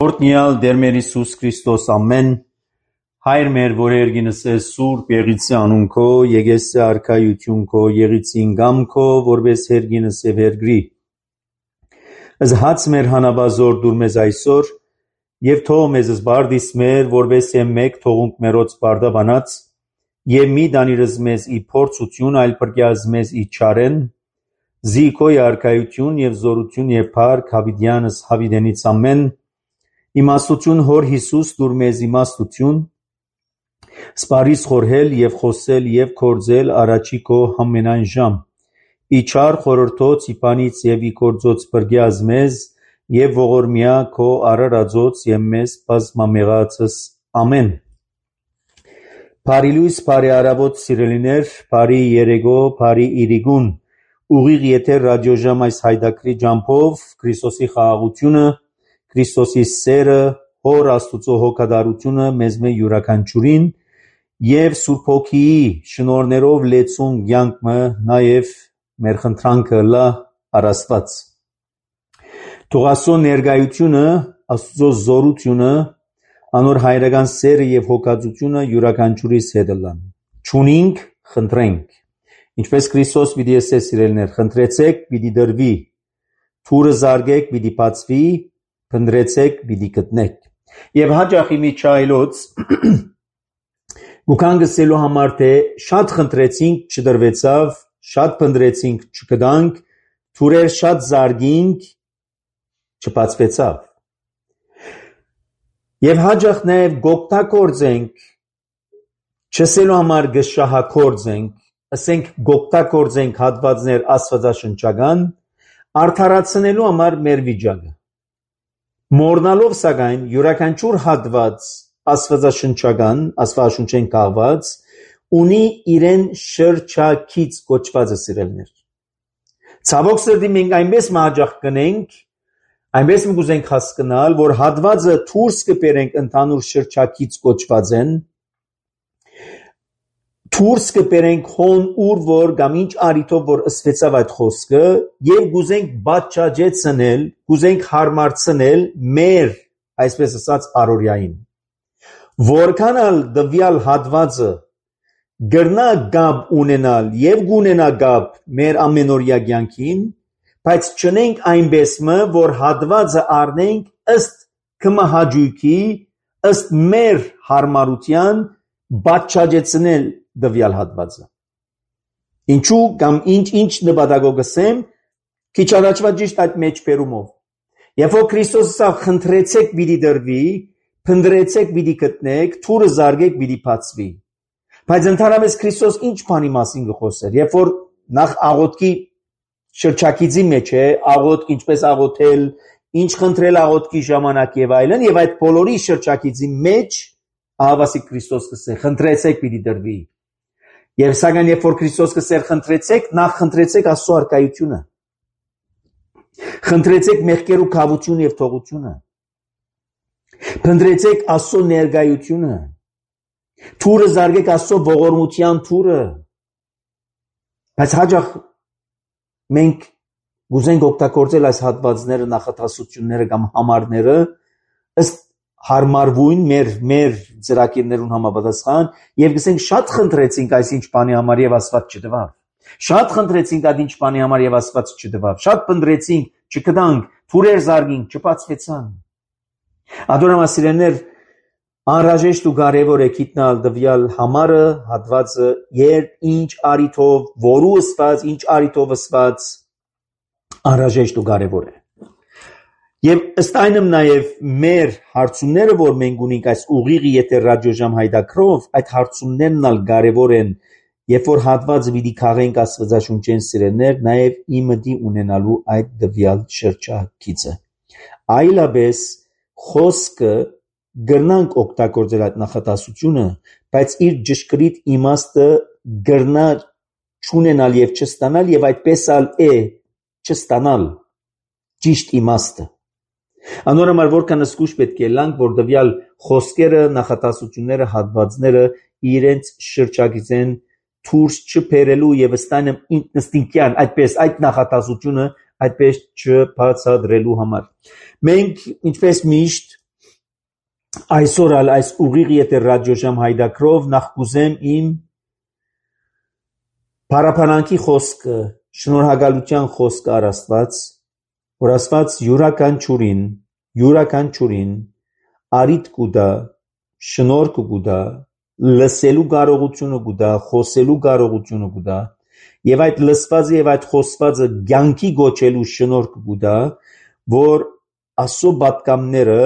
Օրհնյալ Տեր մեր Հիսուս Քրիստոս ամեն Հայր մեր որ երգինս է Սուրբ Եղիցի անուն քո եկեսի արքայություն քո եղիցին գամ քո որպես երգինս է վերգրի Զհաց մեր հանաբազոր դուր մեզ այսօր եւ թող մեզ զբարդիս մեր որպես մեկ թողունք մերոց բարդաբանած եւ մի դանիրս մեզ ի փորձություն այլ բրգյազ մեզ ի չարեն զիքոյ արքայություն եւ զորություն եւ փառք հավիդյանս հավիդենից ամեն իմաստություն հոր Հիսուս դուր մեզ իմաստություն սպարիս խորհել եւ խոսել եւ կործել առաջի քո ամենայն ժամ իչար խորհրդոց իպանից եւ իգործոց բրգյազ մեզ եւ ողորմյա քո արարածոց եւ մեզ բազմամեղացս ամեն Փարիլույս բարի արավոտ սիրելիներ բարի երեգո բարի իրիգուն ուղիղ եթեր ռադիոժամ այս հայդակրի ջամփով Քրիստոսի խաղաղությունը Քրիստոսի սերը հոր Աստծո հոգատարությունը մեզ մե յուրաքանչյուրին եւ Սուրբ Հոգիի շնորհներով լեցուն կյանքը նաեւ մեր խնդրանքը լա առասված Թող Աստծո ներկայությունը Աստծո զորությունը անոր հայրական սերը եւ հոգածությունը յուրաքանչյուրիս հետ լան ճունինք խնդրենք ինչպես Քրիստոս պիտի ասե սիրելներ խնդրեցեք պիտի դրվի թուրը զարգեք պիտի բացվի Փնտրեցեք պիտի գտնեք եւ հաջախ իմի չայլոց գուքան գսելու համար թե շատ խնդրեցինք չդրվեցավ շատ փնտրեցինք չգտանք թուրեր շատ զարգինք չբացվեցավ եւ հաջախ նաեւ գոկտակորձենք չսելու համար գշահակորձենք ասենք գոկտակորձենք հատվածներ աստվածաշնչական արդարացնելու համար մեր վիճակը Մորնալով սակայն յուրաքանչյուր հատված աստվածաշնչական աստվածաշնչեն կահված ունի իրեն շրջակից կոչվածը սիրելներ Ցավոք սրտի մենք այնպես մահաճախ կնենք այնպես մենք ուզենք հասկանալ որ հատվածը դուրս կբերենք ընդհանուր շրջակից կոչված են Դուրս կբերենք հոն ուր որ կամ ինչ արիտով որ ըսվեցավ այդ խոսքը եւ գուզենք բաճաճեցնել գուզենք հարմարցնել մեր այսպես ասած առօրյային որքանալ դվյալ հատվածը գրնա գաբ ունենալ եւ գունենա գաբ մեր ամենօրյա կյանքին բայց չնենք այնպեսը որ հատվածը առնենք ըստ կմահաճույքի ըստ մեր հարմարության բաճաճեցնել դվյալ հատվածը Ինչու կամ ինչ նպատակով գսեմ քիչ առաջվա ճիշտ այդ մեջ բերումով Երբ որ Քրիստոսը խնդրեցեք պիտի դրվի փնտրեցեք պիտի գտնեք թուրը զարգեք պիտի բացվի բայց ընդհանրապես Քրիստոս ինչ բանի մասին գխոսեր երբ որ նախ աղոթքի շրջակիցի մեջ է աղոթք ինչպես աղոթել ինչ խնդրել աղոթքի ժամանակ եւ այլն եւ այդ բոլորի շրջակիցի մեջ ահավասիկ Քրիստոս կսե խնդրեցեք պիտի դրվի Եվ սակայն երբ որ Քրիստոս կսեր խնդրեցեք, նախ խնդրեցեք Աստծո արքայությունը։ Խնդրեցեք մեղքերու կավություն եւ թողությունը։ Փնտրեցեք Աստծո ներկայությունը։ Թուրը զարգեք Աստծո ողորմության թուրը։ Բայց հաջող մենք գուզենք օգտագործել այս հատվածները, նախատասությունները կամ համարները ըստ հարմարվույն մեր ծրագիրներուն համապատասխան եւ գսենք շատ խնդրեցինք այսինչ բանի համար եւ Աստված չտվավ շատ խնդրեցինք այդ ինչ բանի համար եւ Աստված չտվավ շատ փնտրեցինք չգտանք թուրեր զարգինք չբացվեցան Ադորամասիրներ անհրաժեշտ ու կարեւոր է գիտնալ դվյալ համարը հատվածը երբ ինչ արիտով որու ըսված ինչ արիտով ըսված անհրաժեշտ ու կարեւոր է Եվ ըստ այնմ նաև մեր հարցումները, որ մենք ունենք այս ուղիղ եթեր ռադիոժամ հայդակրով, այդ հարցումներն ալ կարևոր են, երբ որ հատվածը պիտի քաղենք աստվածաշունչեն սիրելներ, նաև իմդի ունենալու այդ դվյալ շրջակիցը։ Այլապես խոսքը գրնանք օգտագործել այդ նախատասությունը, բայց իր ճշգրիտ իմաստը գրնա չունենալ եւ չստանալ եւ այդպես ալ է չստանալ ճիշտ իմաստը Անորոշ որքան զգուշ պետք է լանք, որ դվյալ խոսքերը, նախատասությունները, հատվածները իրենց շրջակիցեն դուրս չբերելու եւ ստանամ ինստինկտիվ այդպես այդ նախատասությունը այդպես չբացատրելու համար։ Մենք ինչպես միշտ Այսօր ալ այս ուղիղ եթե ռադիոժամ հայդակրով նախ կուզեմ իմ Փարափանանքի խոսքը, շնորհակալության խոսքը առ Աստված, որ Աստված յուրաքանչյուրին արիթ կուտա, շնորհք կուտա, լսելու կարողությունը կուտա, խոսելու կարողությունը կուտա, եւ այդ լսվածը եւ այդ խոսվածը ցանկի գոչելու շնորհք կուտա, որ Աստծո պատկամները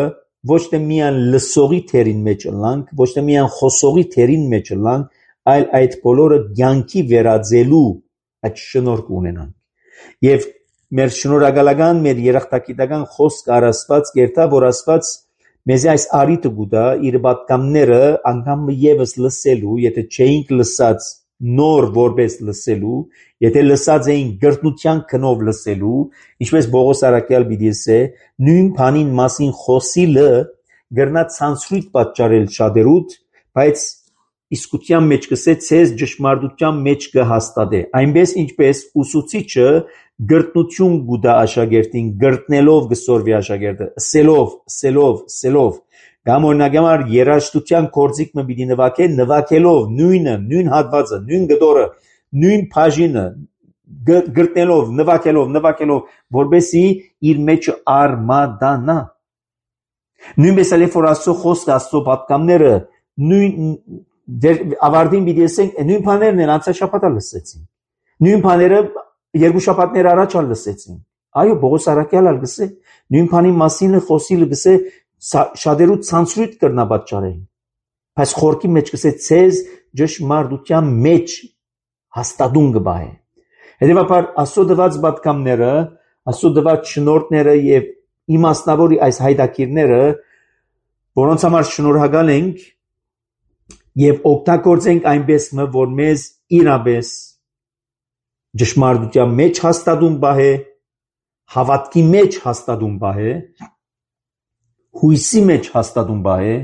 ոչ թե միան լսողի թերին մեջ լանք, ոչ թե միան խոսողի թերին մեջ լանք, այլ այդ բոլորը ցանկի վերածելու այդ շնորհք ունենան։ Եվ մեր շնորհակալական, մեր երախտագիտական խոսք առ Աստված կերտա, որ Աստված մեզ այս արիթը կուտա իր պատկամները անգամ եւս լսելու, եթե չէինք լսած նոր որպես լսելու, եթե լսած էին գրտնության քնով լսելու, ինչպես Պողոս Արաքյալ պիտի ասե, նույն բանին մասին խոսիլը գրնա ցանցրույթ պատճառել շատերուդ, բայց իսկության մեջ կսե ցեզ ճշմարտության մեջ կհաստատե։ Այնպես ինչպես ուսուցիչը գրտնություն գուտա աշակերտին, գրտնելով կսորվի աշակերտը, սելով, կամ օրինակ համար երաժշտության կորձիկ մը պիտի նվագելով նույն հատվածը, նույն գդորը, նույն բաժինը գրտնելով, նվագելով, որբեսի իր մեջը արմադանա։ Նույնպես էլ որ Աստծո խոսքը, Աստծո պատկամները նույն ավարտին պիտի ասենք, նույն բաներն են անցյալ շաբաթ լսեցին։ Նույն բաները երկու շաբաթներ առաջ լսեցին։ Այո, Պողոս Արաքյալը գսե, նույն բանի մասին խոսիլը գսե շատերու ցանցրույթ կրնա պատճառել։ Բայց խորքի մեջ գսե ցեզ ճշմարտության մեջ հաստատուն կբահե։ Հետևաբար Աստծո դված պատկամները, Աստծո դված շնորհները եւ իմաստնավորի այս հայտակիրները, որոնց համար շնորհակալ ենք եւ օգտագործենք այնպես, որ մեզ իրապես ճշմարտության մեջ հաստատուն բահե, հավատքի մեջ հաստատուն բահե, հույսի մեջ հաստատուն բահե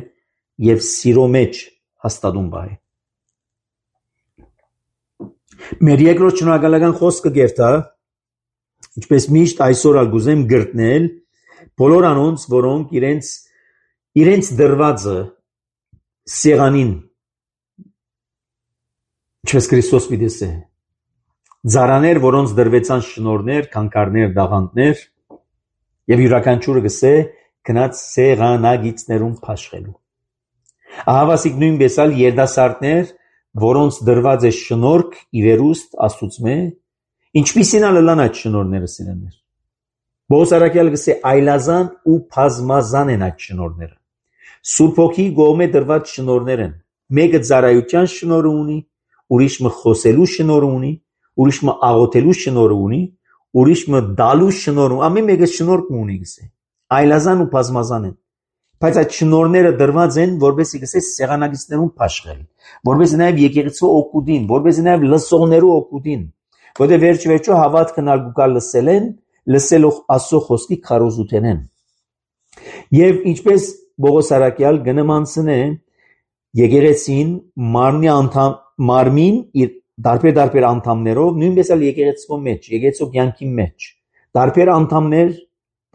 եւ սիրո մեջ հաստատուն բահե։ Մեր երկրորդ շնորհակալական խոսքը գերտա, ինչպես միշտ այսօր ալ գուզեմ գրտնել բոլոր անոնց, որոնք իրենց դրվածը սեղանին ինչպես Քրիստոս պիտի Ձարաներ, որոնց դրվեցան շնորհներ, քանքարներ, դաղանտներ, եւ յուրաքանչյուրը գսե գնաց սեղանագիծներում փաշխելու։ Ահավասիկ նույնպես ալ երդասարտներ, որոնց դրված է շնորհք ի վերուստ Աստծո, ինչպիսին ալ լան այդ շնորհները սիրելներ։ Պողոս Արաքյալը գսե այլազան ու բազմազան են այդ շնորհները։ Սուրբ Հոգի գոմե դրված շնորհներ են։ Մեկը ծառայության շնորհ ունի, ուրիշը խոսելու շնորհ ունի, ուրիշը աղոթելու շնորհ ունի, ուրիշը դալու շնորհ, ամեն մեկը շնորհ ունի գսե։ Այլազան ու բազմազան են։ Բայց այդ շնորհները դրված են, որովհետեւ գսե սեղանագիծներում փաշխել, որովհետեւ նաև եկեղեցու օգուտին, որովհետեւ նաև լսողներու օգուտին, որովհետեւ վերջ-վերջո հավատքն ալգուկալ լսելով Աստծո խոսքի քարոզութեն են։ Եվ ինչպես Պողոս Արաքյալ գնմանցն է եկեղեցին մարմին իր դարբեր անդամներով, նույնպես էլ եկեղեցու մեջ, եկեղեցու կյանքի մեջ, դարբեր անդամներ,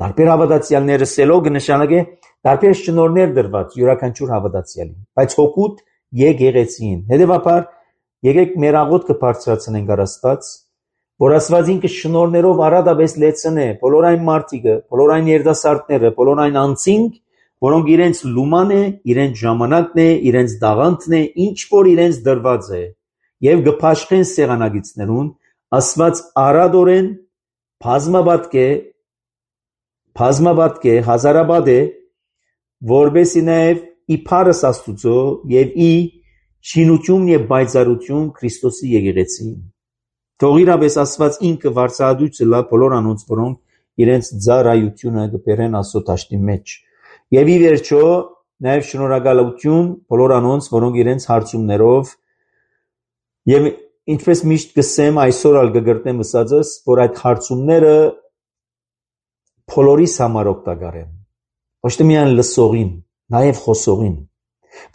դարբեր հավատացյալները սելով կնշանակե դարբեր շնորհներ դրված յուրաքանչյուր հավատացյալին, բայց հոգուտ եկեղեցին։ Հետևաբար եկեք մեր աղոթքը բարձրացնենք առ Աստված, որ Աստված ինքը շնորհներով առատապես լեցնե բոլոր այն մարդիկը, բոլոր այն երդասարտները, բոլոր այն անձինք, որոնք իրենց լուման է, իրենց ժամանակն է, իրենց դաղանթն է, ինչ որ իրենց դրված է, եւ գփաշխեն սեղանագիծներուն, Աստված առադորեն բազմաբատկ է, հազարաբադ է, որբեսի նաև իբարս Աստուծո եւ ի շինություն եւ բայծարություն Քրիստոսի եկեղեցին։ Թող իրապես Աստված ինքը վարձահատույցը լա բոլոր անոնց, որոնք իրենց ծառայությունը կբերեն Աստծո դաշտի մեջ։ Եվ ի վերջո նաև շնորհակալություն բոլոր անոնց, որոնք իրենց հարցումներով եւ ինչպես միշտ կսեմ այսօր ալ կգրտնեմ ասածս, որ այդ հարցումները բոլորիս համար օգտակար են։ Ոչ թե միայն լսողին, նաև խոսողին։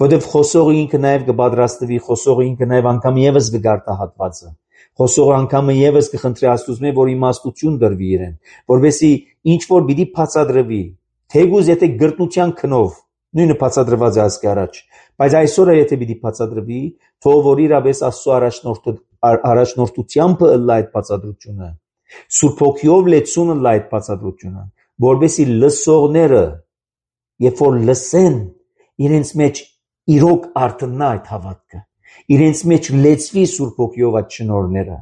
Որովհետև խոսողը ինքը նաև կպատրաստվի, խոսողը ինքը նաև անգամ եւս կգարտահատվածը։ Խոսողը անգամ եւս կխնդրի Աստծո, որ իմաստություն դրվի իրեն, որովհետեւ ինչ որ պիտի բացատրվի, թեգուզ եթե գրտնության քնով, նույնը բացատրված է ասկի առաջ, բայց այսօր եթե պիտի բացատրվի, թող որ իրապես Աստծո առաջնորդությամբ ըլլա այդ բացատրությունը, Սուրբ Հոգիով լեցուն ըլլա այդ բացատրությունը, որովհետեւ լսողները երբ որ լսեն, իրենց մեջ իրոք արտնա այդ հավատքը, իրենց մեջ լեցվի Սուրբ Հոգիով այդ շնորհները,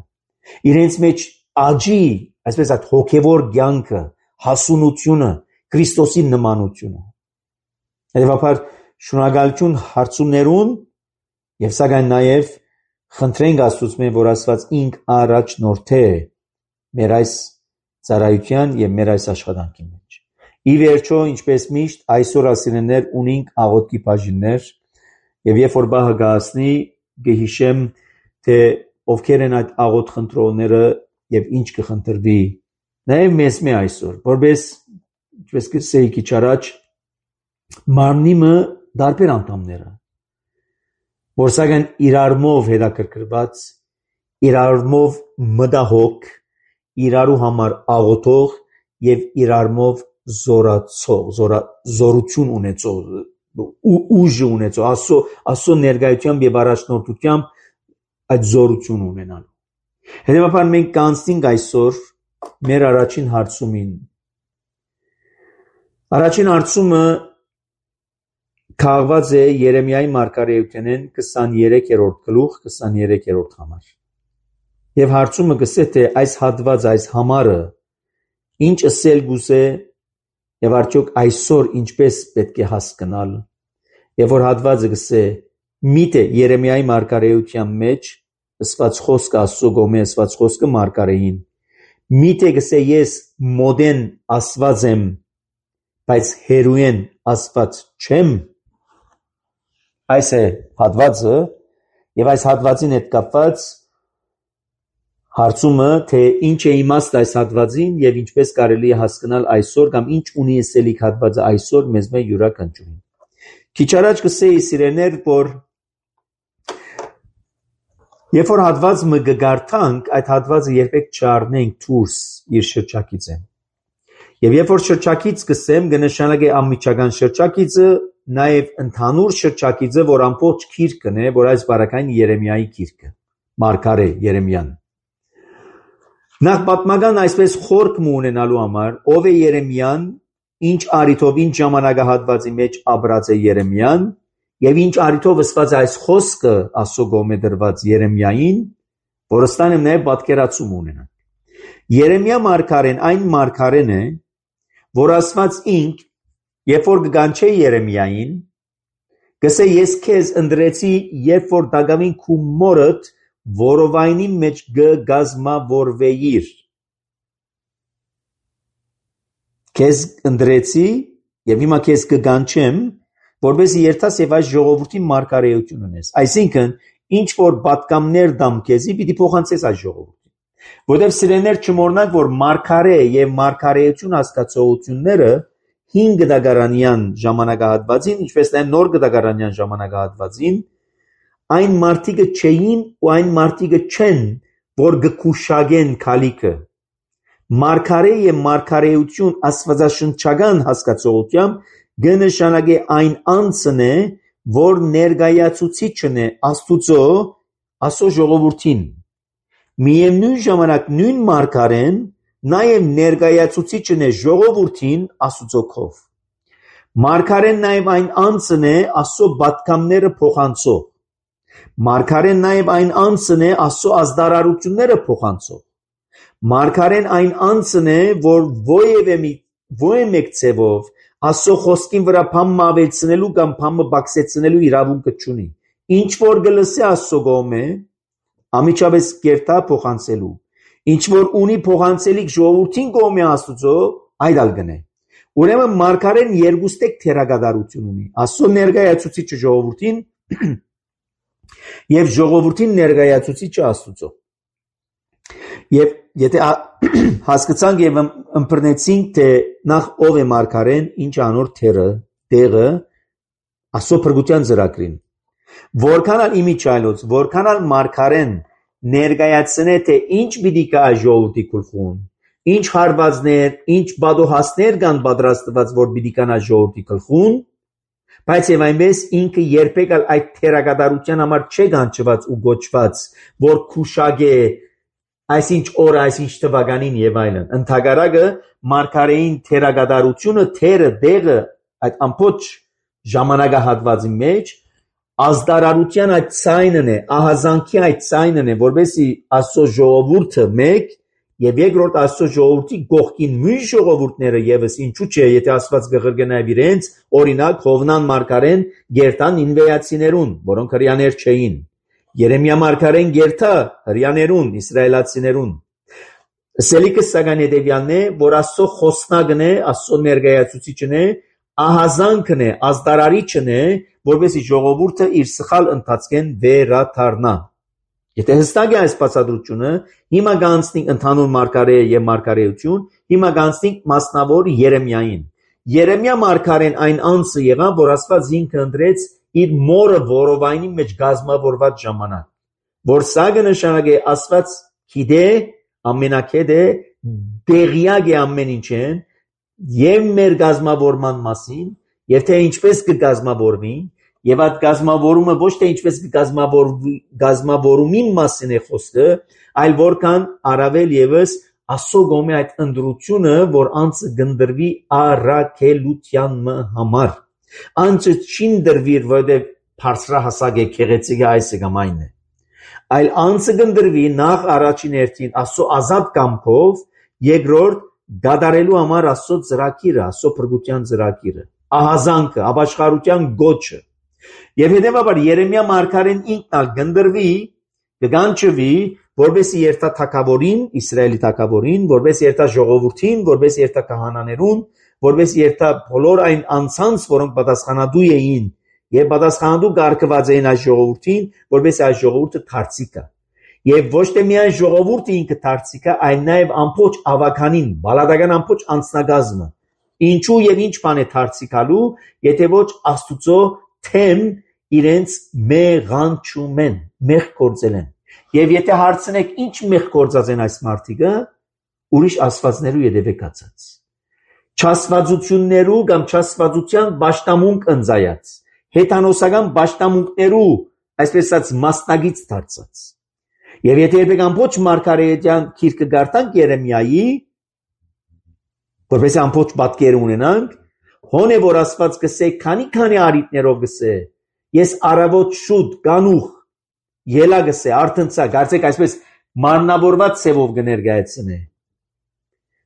իրենց մեջ աճի, այսպես այդ հոգևոր կյանքը, հասունությունը, Քրիստոսի նմանությունը։ Հետևաբար շնորհակալություն հարցումներուն եւ սակայն նաեւ խնդրենք Աստծուց, որ Աստված ինք առաջնորդե մեր այս ծառայության եւ մեր այս աշխատանքի մեջ։ Ի վերջո, ինչպես միշտ, այսօր ասիններ ունենք աղոթքի բաժիններ եւ երբ որ բահը գասնի, գհիշեմ թե ովքեր են այդ աղոթ խնդրողները եւ ինչ կխնդրվի։ Նաեւ մեզ մե այսօր, որպես ինչպես կսեի քիչ առաջ մարմնիմը դարբեր անդամները, որ սակայն իրարմով հետաքրքրված, իրարմով մտահոգ, իրարու համար աղոթող եւ իրարմով զորություն ունեցող, ուժ ունեցող, Աստծո ներկայությամբ եւ առաջնորդությամբ այդ զորություն ունենալու։ Հետևաբար մենք կանցնենք այսօր մեր առաջին հարցումին։ Առաջին հարցումը քաղված է Երեմիայի մարգարեութենեն 23-րդ գլուխ 23-րդ համար։ Եվ հարցումը գսե թե այս հատված, այս համարը ինչ ասել գուզե եւ արդյոք այսօր ինչպես պետք է հասկանալ։ Եվ որ հատվածը գսե միթե Երեմիայի մարգարեության մեջ ասված խոսքը Աստծո գոմե ասված խոսքը մարգարեին։ Միթե գսե ես մոդեն ասված եմ, բայց հերույեն ասված չեմ։ Այս է հատվածը եւ այս հատվածին հետ կապված հարցումը թե ինչ է իմաստ այս հատվածին եւ ինչպես կարելի է հասկանալ այսօր կամ ինչ ունի ասելիք հատվածը այսօր մեզ մե յուրաքանչյուրին։ Քիչ առաջ կսեի սիրելիներ, որ երբ որ հատված մը գգարտանք, այդ հատվածը երբեք չառնենք դուրս իր շրջակիցը։ Եվ երբ որ շրջակից կսեմ, կնշանակի անմիջական շրջակիցը, նաև ընդհանուր շրջակիցը, որ ամբողջ գիրքն է, որ այս բարակային Երեմիայի գիրքը, մարգարե Երեմիան։ Նախ պատմական այսպես խորք ունենալու համար, ով է Երեմիան, ինչ առիթով, ինչ ժամանակահատվածի մեջ ապրած է Երեմիան, եւ ինչ առիթով ասված այս խոսքը Աստծո կողմէ դրված Երեմիային, որ ստանեմ նաև պատկերացում ունենանք։ Երեմիա մարգարեն այն մարգարեն է, որ ասված ինք, երբ որ կգանչե Երեմիային, գսե ես քեզ ընտրեցի, երբ որ դագամին քու մորդ որովայնի մեջ գազմավորվեիր։ Քեզ ընտրեցի եւ հիմա քեզ կգանչեմ, որպեսզի երթաս եւ այս ժողովրդի մարգարեություն ունես։ Այսինքն, ինչ որ պատկամներ դամ քեզի, պիտի փոխանցես այս ժողովրդին։ Որտեւ սիրելիներ չմոռնանք, որ մարգարե եւ մարգարեություն հասկացողությունները 5 դագարանյան ժամանակահատվածին, ինչպես նաև նոր դագարանյան ժամանակահատվածին, այն մարդիկը չէին ու այն մարդիկը չեն, որ գկուշագեն քալիքը։ Մարգարե եւ մարգարեություն աստվածաշնչական հասկացողությամբ կնշանակի այն անձն է, որ ներկայացուցիչն է Աստծո ժողովրդին։ Միևնույն ժամանակ նույն մարգարեն նաև ներկայացուցիչն է ժողովրդին Աստծո քով։ Մարգարեն նաև այն անձն է Աստծո պատգամները փոխանցող։ Մարգարեն նաև այն անձն է Աստծո ազդարարությունները փոխանցող։ Մարգարեն այն անձն է, որ ո մեկ ցևով Աստծո խոսքին վրա բամը ավելցնելու կամ բամը բացեցնելու իրավունքը չունի։ Ինչ որ գլսի Աստծո կողմէ, ամիջապես կերտա փոխանցելու։ Ինչ որ ունի փոխանցելիք ժողովրդին կողմէ Աստծո, այդ ալ գնե։ Ուրեմն մարգարեն երկուստեք թերագադարություն ունի։ Աստծո ներկայացուցիչը ժողովրդին եւ ժողովրդին ներկայացուցիչը Աստծո։ Եվ եթե հասկացանք եւ ըմբռնեցինք, թե նախ ով է մարգարեն, ինչ անոր տեղը Աստծո փրկության ծրագրին, որքան ալ իմիջայլոց, որքան ալ մարգարեն ներկայացնե թե ինչ պիտի կա ժողովրդի գլխուն, ինչ հարվածներ, ինչ բադոհասներ կան պատրաստված, որ պիտի կան ժողովրդի գլխուն, Բայց եւ այնպես ինքը երբեք այդ թերագադարության համար չէ գանչված ու գոչված, որ քուշագե այսինչ օր, այսինչ թվականին եւ այլն։ Ընդհակառակը մարգարեին թերագադարությունը, թերը, դեղը այդ ամբողջ ժամանակահատվածի մեջ ազդարարության այդ ցայնն է, ահազանգի այդ ցայնն է, որովհետեւ Աստծո ժողովուրդը մեկ եւ երկրորդ Աստծո ժողովրդի գողքին մյուս ժողովուրդները եւս ինչու՞ չէ, եթե Աստված գղրգնայ իրենց, օրինակ Հովնան մարգարեն գերտան ինվեացիներուն, որոնք հрьяաներ չէին։ Երեմիա մարգարեն գերտա հрьяաներուն, իսրայելացիներուն։ Սելիկը սակայն հետևյալն է, որ Աստծո խոսնակն է, Աստծո ներկայացուցիչն է, ահազանգն է, ազդարարիչն է, որովհետեւ ժողովուրդը իր սխալ ընթացքեն վերադառնա։ Եթե հստակ է այս բացատրությունը, հիմա կանցնենք ընդհանուր մարգարե եւ մարգարեություն, հիմա կանցնենք մասնավոր Երեմիային։ Երեմիա մարգարեն այն անձը եղավ, որ Աստված ինքը ընտրեց իր մորը որովայնի մեջ գազմավորված ժամանակ, որ սա կնշանակե Աստված գիտե, ամենակետ է, դեղյակ է ամեն ինչեն, եւ մեր գազմավորման մասին, եւ թե ինչպես կգազմավորվի, եւ այդ գազմավորումը ոչ թե ինչպես գազմավորումին մասին է խոսքը, այլ որքան առավել եւս Աստծո գոմե այդ ընդրությունը, որ անձը գնդրվի առաքելության համար։ Անձը չին դրվիր, որովհետեւ բարձրահասակ է, գեղեցիկ է, այս կամ այն է, այլ անձը գնդրվի նախ առաջին հերթին Աստծո ազատ կամքով, երկրորդ գադարելու համար Աստծո ծրագիրը, Աստծո փրկության ծրագիրը, ահազանգը, ապաշխարության գոչը։ Եվ հետևաբար Երեմիա մարգարեն ինքն ալ գնդրվի, կգանչվի, որովհետեւ երթա թագավորին, Իսրայելի թագավորին, որովհետեւ երթա ժողովրդին, որովհետեւ երթա քահանաներուն, որովհետեւ երթա բոլոր այն անձանց, որոնք պատասխանատու էին եւ պատասխանատու կարգված էին այս ժողովրդին, որովհետեւ այս ժողովուրդը դարձիկ է։ Եվ ոչ թե միայն ժողովուրդը ինքը դարձիկ է, այլ նաեւ ամբողջ ավականին, բալադական ամբողջ անձնագազմը։ Ինչու եւ ինչ բան է դարձիկալու, եթե ոչ Աստուծո թեմ իրենց մեղանչում են, մեղ գործել են։ Եվ եթե հարցնեք ինչ մեղ գործած են այս մարդիկը, ուրիշ աստվածներու յետևեք ածած։ Չաստվածություններու կամ չաստվածության պաշտամունք ընձայած, հեթանոսական պաշտամունքներու, այսպես ասած մասնագից դարձած։ Եվ եթե երբեք ամբողջ մարգարեության գիրքը գարտանք Երեմիայի, որպես ամբողջ պատկերը ունենանք, հոն է որ Աստված գսե քանի արիտներով գսե, ես առավոտ շուտ կանուխ ելա գսե արթնցա, կարծեք այսպես մարմնավորված ցևով կներկայացնե,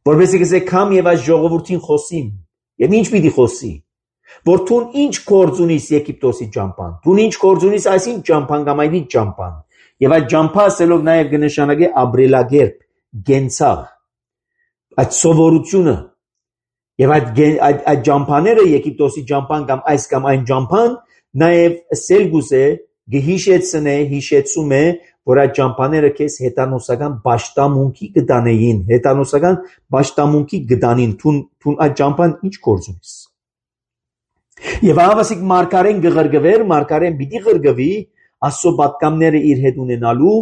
որպեսզի գսե կամ եւ այս ժողովրդին խոսիմ, եւ ինչ պիտի խոսի, որ դու ինչ գործ ունիս Եգիպտոսի ճամփան, դու ինչ գործ ունիս այսին ճամփան կամ այն ճամփան, եւ այդ ճամփա ասելով նաեւ կնշանակե ապրելակերպ, գենցաղ, այդ սովորությունը, եւ այդ ճամփաները Եգիպտոսի ճամփան կամ այս կամ այն ճամփան նաեւ սելգուս է գհիշեցնե, հիշեցում է, որ այդ ճամփաները քեզ հեթանոսական պաշտամունքի կդանեին, հեթանոսական պաշտամունքի կդանին, թուն այդ ճամփան ինչ գործ ունիս։ Եվ ավասիկ մարգարեն գղրգվեր, մարգարեն պիտի գղրգվի Աստծո պատկամները իր հետ ունենալու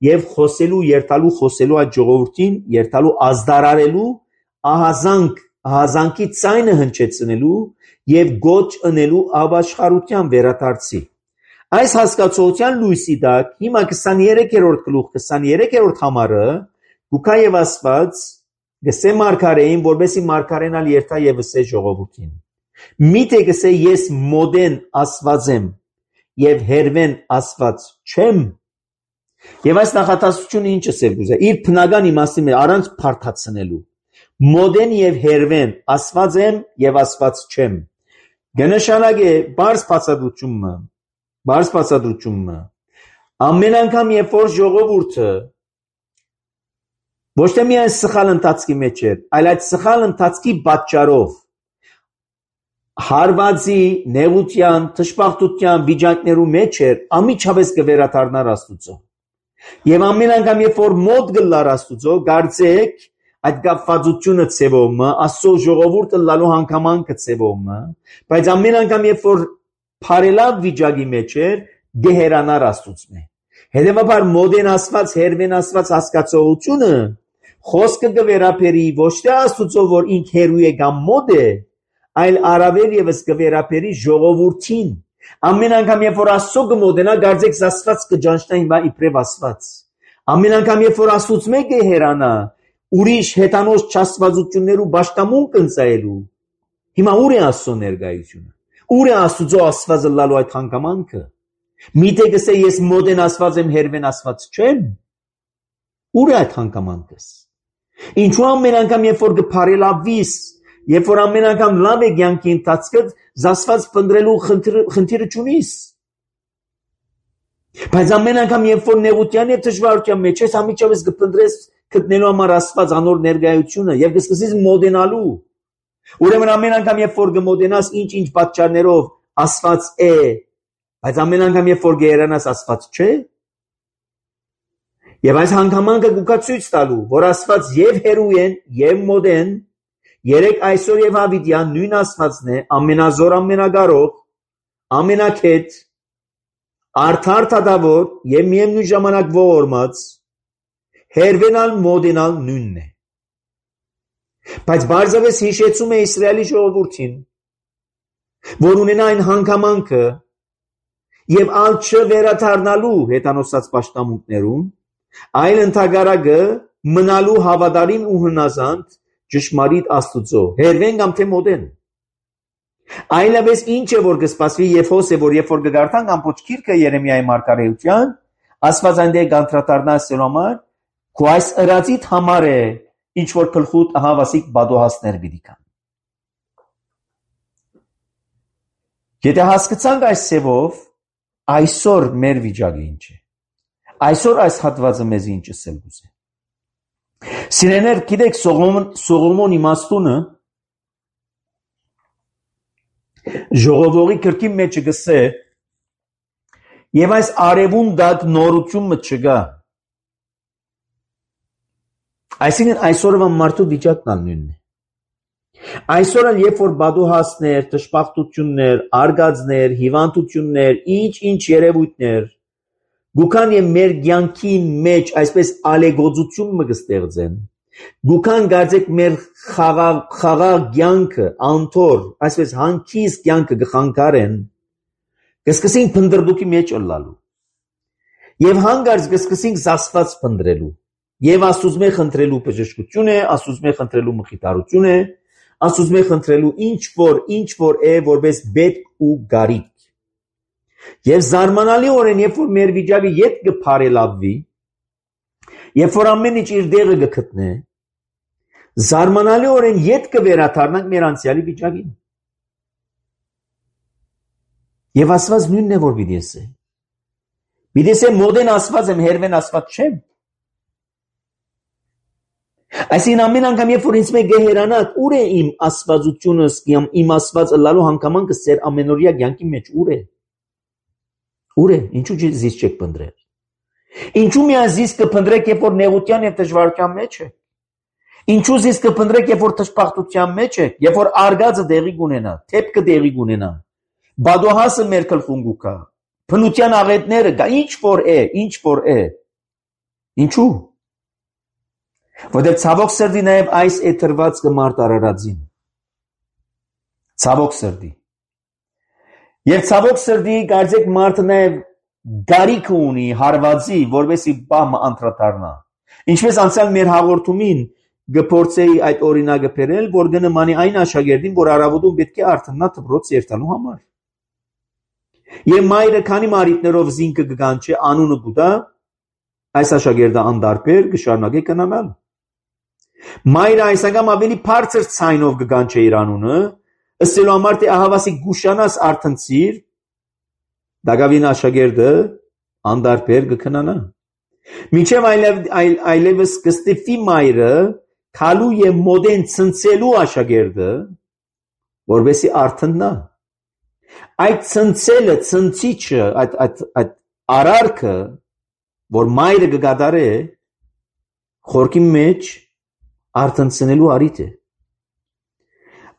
եւ խոսելու այդ ժողովրդին, երթալու ազդարարելու, ահազանգի ցայնը հնչեցնելու եւ գոչ ընելու ապաշխարության վերադարձի։ Այս հասկացության լույսի տակ հիմա 23-րդ գլուխ 23-րդ համարը գուքա եւ Աստված գսե մարգարեին, որովհետեւ մարգարենալ երթա եւ ասե ժողովրդին։ Միթե գսե ես մոդեն Աստված եմ եւ հերվեն Աստված չեմ։ Եվ այս նախատասությունը ինչ ասել գուզա։ Իր բնական իմաստի մեջ առանց փարթացնելու։ Մոդեն եւ հերվեն Աստված եմ եւ Աստված չեմ։ Գնշանակե բարձ բացատրությունը ամեն անգամ երբ որ ժողովուրդը ոչ թե միայն սխալ ընթացքի մեջ էր, այլ այդ սխալ ընթացքի պատճառով հարվածի, նեղության, թշպախտության վիճակներու մեջ էր, ամիջապես կվերադառնար Աստուծո։ Եվ ամեն անգամ երբ որ մոտ գլար Աստուծո, կարծեք այդ կապվածությունը ցևոմը, Աստծո ժողովուրդը լալու հանգամանքը ցևոմը, բայց ամեն անգամ երբ որ փարելավ վիճակի մեջ էր, գեհերանար Աստուծո։ Հետևաբար մոդեն Աստված, հերվեն Աստված հասկացողությունը խոսքը կվերապերի ոչ թե Աստուծո, որ ինք հերու է կամ մոդ է, այլ առավել եւս կվերապերի ժողովրդին։ Ամեն անգամ երբ որ Աստծո կմոտենա, գարձեք Աստված կճանչնա հիմա իբրև Աստված։ Ամեն անգամ երբ որ Աստծուց մեկը հեռանա, ուրիշ հետանոց չաստվածություններու բաշտամուն կընծայելու։ Հիմա ուր է Աստծո ներկայությունը։ Ուր է Աստծո Աստվածը լալու այդ հանգամանքը։ Միթե գսե ես մոտեն Աստված եմ, հերվեն Աստված չեմ։ Ուր է այդ հանգամանքս։ Ինչու ամեն անգամ երբ որ կփարելավիս, երբ որ ամեն անգամ լավ է կյանքի ընթացքը, Աստված փնտրելու խնդիրը չունիս։ Բայց ամեն անգամ երբ որ նեղության եւ դժվարության մեջ ես, ամիջապես կփնտրես գտնելու համար Աստված անոր ներկայությունը եւ կսկսես մոտենալու։ Ուրեմն ամեն անգամ երբ որ կմոտենաս ինչ պատճառներով Աստված է, բայց ամեն անգամ երբ որ գերանաս Աստված չէ։ Եվ այս հանգամանքը կուկա ցույց տալու, որ Աստված եւ հերու են, եւ մոտ են, երեք այսօր եւ հավիտյան նույն Աստվածն է, ամենազոր, ամենակարող, ամենակետ, արդար թադավոր եւ միևնույն ժամանակ ողորմած, հերվենալ մոդենալ նույնն է։ Բայց բարձրապես հիշեցում է Իսրայելի ժողովրդին, որ ունենա այն հանգամանքը եւ ալ չվերադառնալու հետանոսած պաշտամունքներուն, այլ ընդհանրակը մնալու հավատարիմ ու հնազանդ ճշմարիտ Աստծո, հերվեն կամ թե մոդեն։ Այլևս ինչ է որ կսպասվի եւ հոս է որ երբ որ կգարտանք ամբողջ գիրքը Երեմիայի մարգարեության, Աստված այնտեղ կանդրադառնա սելոմար, քո այս ըրածիդ համար է, ինչ որ գլխուտ ահավասիկ բադոհասներ պիտի կան։ Եթե հասկացանք այս սևով, այսօր մեր վիճակը ինչ է։ Այսօր այս հատվածը մեզ ինչ ասել գուզե։ Սիրեներ, գիտեք Սողոմոն իմաստունը ժողովողի կրկի մեջ գսե եւ այս արևուն դակ նորությունը չկա։ Այսինքն այսօրվա մարդու վիճակն նույնն է։ Այսօր երբ որ բադուհասներ, դժբախտություններ, արգածներ, հիվանդություններ, ինչ երևույթներ գուքան եւ մեր կյանքին մեջ այսպես ալեգոծություն մը կստեղծեն։ Գուքան գարձեք մեր խաղաղ կյանքը, անթոր, այսպես հանգիստ կյանքը կխանգարեն, կսկսենք փնդրդուքի մեջ ըլլալու։ Եւ հանգարց կսկսենք Աստված փնդրելու։ Եվ Աստծուց մեր խնդրելու բժշկություն է, Աստծուց մեր խնդրելու մխիթարություն է, Աստծուց մեր խնդրելու ինչ որ է որպես պետք ու գարիք։ Եվ զարմանալիորեն երբ որ մեր վիճակը ետ կփարելավվի, երբ որ ամեն ինչ իր դեղը կգտնե, զարմանալիորեն ետ կվերադառնանք մեր անցյալի վիճակին։ Եվ Աստված նույնն է որ պիտի ասե։ Պիտի ասե մոդեն Աստված եմ, հերվեն Աստված չեմ։ Այսինքն ամեն անգամ երբ որ ինձ մեկ գեհերանաք, ուր է իմ աստվածությունս, իմ Աստված ըլլալու հանգամանքը սեր ամենօրյա կյանքի մեջ ուր է։ Ուր է, ինչու զիս չեք փնտրել։ Ինչու միայն զիս կփնտրեք, երբ որ նեղության եւ դժվարության մեջ եք։ Ինչու զիս կփնտրեք, երբ որ դժբախտության մեջ եք, երբ որ արգածը դեղի կունենա, թեփքը դեղի կունենա, բադոհասը մեր գլխուն կա, փնության աղետները կա, ինչ որ է։ Ինչու։ Որտեղ ցավոք սրտի նաև այս է թրված կմարդ արարածին։ Ցավոք սրտի։ Եվ ցավոք սրտի կարծեք մարդը նաև գարիք ունի հարվածի, որովհետեւ բամը անդրադառնա։ Ինչպես անցյալ մեր հաղորդումին գփորձեի այդ օրինակը բերել, որ գնմանի այն աշակերտին, որ առավոտում պետք է արթնանա դպրոց երթալու համար։ Եվ մայրը քանի մարիտներով զինքը կգանչի անունը գուտա, այս աշակերտը անդարբեր կշարունակի կնանալ։ Մայրը այս անգամ ավելի բարձր ցայնով կգանչի իր անունը, ըստելու համար թե ահավասիկ գուշանաս արթնցիր, դակավին աշակերտը անդարբեր կքնանա։ Մինչև այլևս կստիպի մայրը քալու եւ մոդեն ցնցելու աշակերտը, որովհետեւ արթնա։ Այդ ցնցելը, ցնցիչը, այդ արարքը, որ մայրը կգադարե, խորքի մեջ արթնցնելու արիթ է։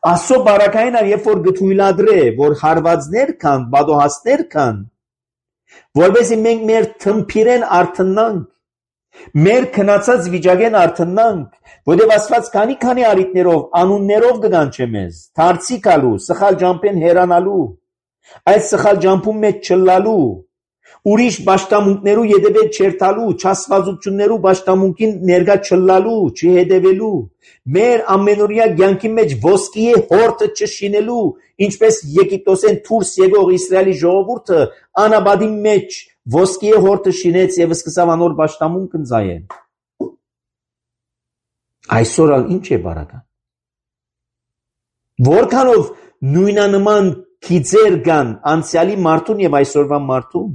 Աստծո բարակային երբ որ գթույլադրե, որ հարվածներ կան, բադոհասներ կան, որովհետեւ մենք մեր թմփիրեն արթնանք, Մեր քնացած վիճակեն արթնանք, որտեղ Աստված քանի արիտներով, անուններով կգանչե մեզ, դարձի գալու, սխալ ջամփեն հերանալու, այս սխալ ջամփում մեջ չլալու, ուրիշ պաշտամունքներու յետևել չերթալու, չասվածություններու պաշտամունքին ներկա չլալու, չհետևելու, մեր ամենօրյա կյանքի մեջ ոսկիե հորտը չշինելու, ինչպես Եգիպտոսեն դուրս եկող Իսրայելի ժողովուրդը անապատի մեջ ոսկիե հորտը շինեց եւ սկսավ անոր պաշտամունք ընծայել։ Այսօր ալ ինչ է բարական։ Որքանով նույնանման քիծեր կան անցյալի մարդուն եւ այսօրվա մարդուն։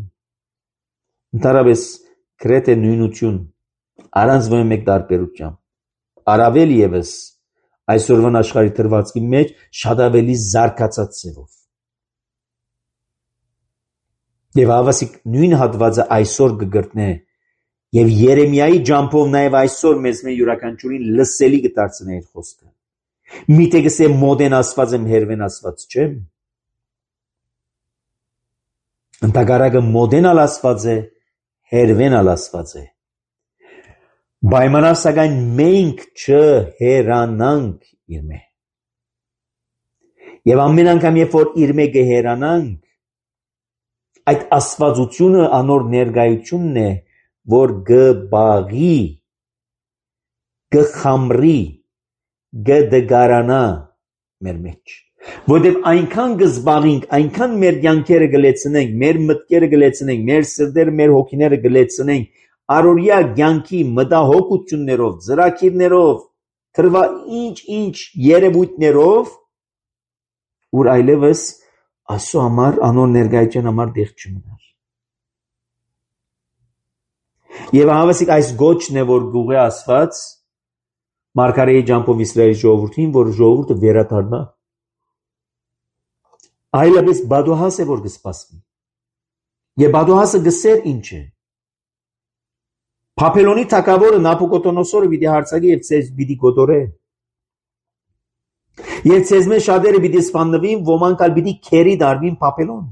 Ընդհանրապես գրեթե նույնություն, առանց ոչ մեկ տարբերությամբ։ Առավել եւս այսօրվան աշխարհի դրվածքի մեջ շատ ավելի զարգացած ձևով։ Եվ հավասիկ նույն հատվածը այսօր կգրտնե եւ Երեմիայի ջամփով նաեւ այսօր մեզ յուրաքանչյուրին լսելի կդարձնե իր խոսքը։ Միթե գսե մոդեն ասված եմ հերվեն ասված չեմ։ Ընդհակառակը մոդենալ ասված է, հերվենալ ասված է։ Պայմանավ սակայն մենք չհերանանք իր մե։ Եվ ամեն անգամ երբ որ իր մե կհերանանք, այդ աստվածությունը անոր ներկայությունն է, որ գբաղի, գխամրի, գդգարանա մեր մեջ։ Որտեւ այնքան գզբաղինք, այնքան մեր կյանքերը գլեցնենք, մեր մտքերը գլեցնենք, մեր սրտերը, մեր հոգիները գլեցնենք, առօրյա կյանքի մտահոգություններով, ծրագիրներով, թրվա ինչ երևույթներով, որ այլևս Աստծո համար, անոր ներկայության համար դեղ չմնար։ Եվ հավասիկ այս գոչն է, որ գուղե ասված Մարգարեի ջամփով Իսրայելի ժողովրդին, որ ժողովուրդը վերադառնա։ Այլապես բադոհաս է, որ կսպասվի։ Եվ բադոհասը գսեր ինչ է։ Բաբելոնի թագավորը Նաբուկոդոնոսորը պիտի հարցակի եւ ցեզ պիտի գոտորե։ Եվ ցեզ մեջ շատերը պիտի սպանվին, ոմանք ալ պիտի քերի դարվին Բաբելոն։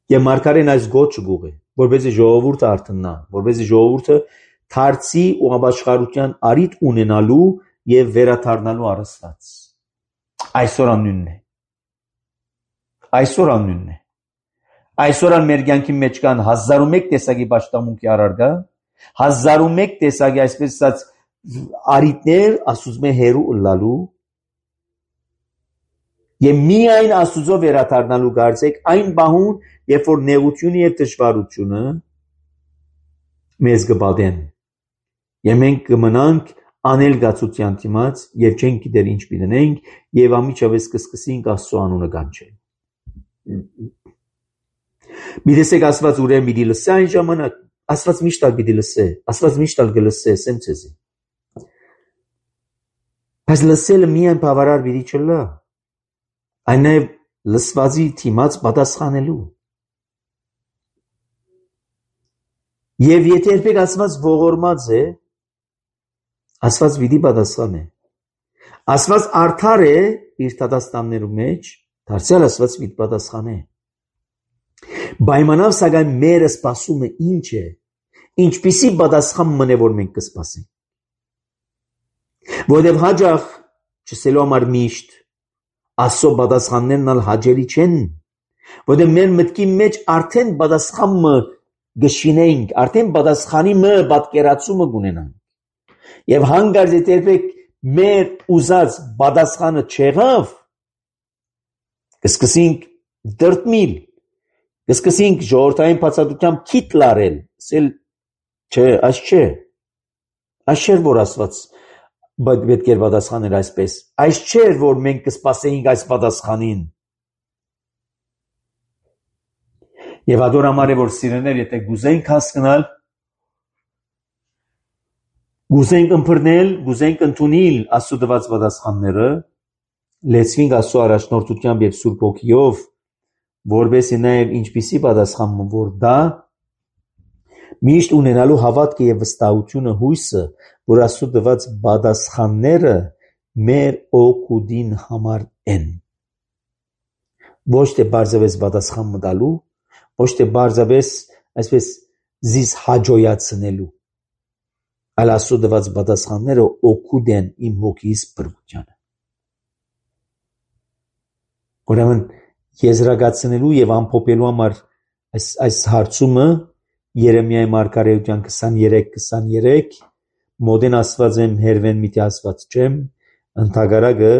Եվ Մարգարեն այս գոչը գուղե, որպեսզի ժողովուրդը արթնա, որպեսզի ժողովուրդը դարձի ու ապաշխարության արիթ ունենալու եւ վերադառնալու առասված։ Այսօր անունն է։ Այսօր անունն է։ Այսօր ան մեր կյանքի մեջ կան 1001 տեսակի պաշտամունքի առարգա, 1001 տեսակի այսպես ասած արիթներ ասում է հերու ըլլալու եւ միայն Աստուծո վերադառնալու գարցեք այն բահուն, երբ որ նեղությունը եւ դժվարությունը մեզ կբադեն եւ մենք կմնանք անել գացության դիմաց եւ չենք գիտեր ինչ պիտենք եւ ամիջավես կսկսենք Աստծո անունը կանչել։ Միդեսեք Աստված ուրեմն պիտի լսե այն ժամանակ, Աստված միշտ ալ պիտի լսե, Աստված միշտ ալ կլսե, ասեմ ցեզի։ Բայց լսելը միայն բավարար պիտի չլա, այն նաեւ լսվածի դիմաց պատասխանելու։ Եվ եթե երբեք Աստված ողորմած է, Աստված պիտի պատասխանե։ Աստված արդար է իր դատաստաններու մեջ, դարձյալ Աստված պիտի պատասխանե։ Պայմանավ սակայն մեր սպասումը ինչ է, ինչպիսի պատասխան մնե որ մենք կսպասենք։ Որովհետև հաջող չսելու համար միշտ Աստծո պատասխաններն ալ հաջելի չեն, որովհետև մեր մտքի մեջ արդեն պատասխանը գշինենք, արդեն պատասխանի մը պատկերացումը կունենանք։ Եվ հանգարց երբեք մեր ուզած պատասխանը չեղավ, կսկսենք դրտմիլ, կսկսենք ժողովրդային բացատրությամբ քիթ լարել, ասել չէ, այս չէ, այս չէր որ Աստված պետք էր պատասխանել այսպես, այս չէր որ մենք կսպասեինք այս պատասխանին։ Եվ ադոր համար է որ սիրեներ, եթե գուզենք հասկանալ, գուզենք ըմբռնել, գուզենք ընդունել Աստծո տված պատասխանները, լեցվենք Աստծո առաջնորդությամբ եւ Սուրբ Հոգիով, որովհետեւ նաեւ ինչպիսի պատասխան որ դա միշտ ունենալու հավատքը եւ վստահությունը հույսը, որ Աստծո տված պատասխանները մեր օգուտին համար են։ Ոչ թե բարձավես պատասխան մտալու, ոչ թե բարձավես այսպես զիս հաջոյացնելու, այլ Աստծո տված պատասխանները օգուտ են իմ հոգիս բրգությանը։ Ուրեմն եզրակացնելու եւ ամփոփելու համար այս հարցումը Երեմիայի մարգարեության 23:23 մոդեն ասված եմ հերվեն միտի ասված չեմ ընդհակարակը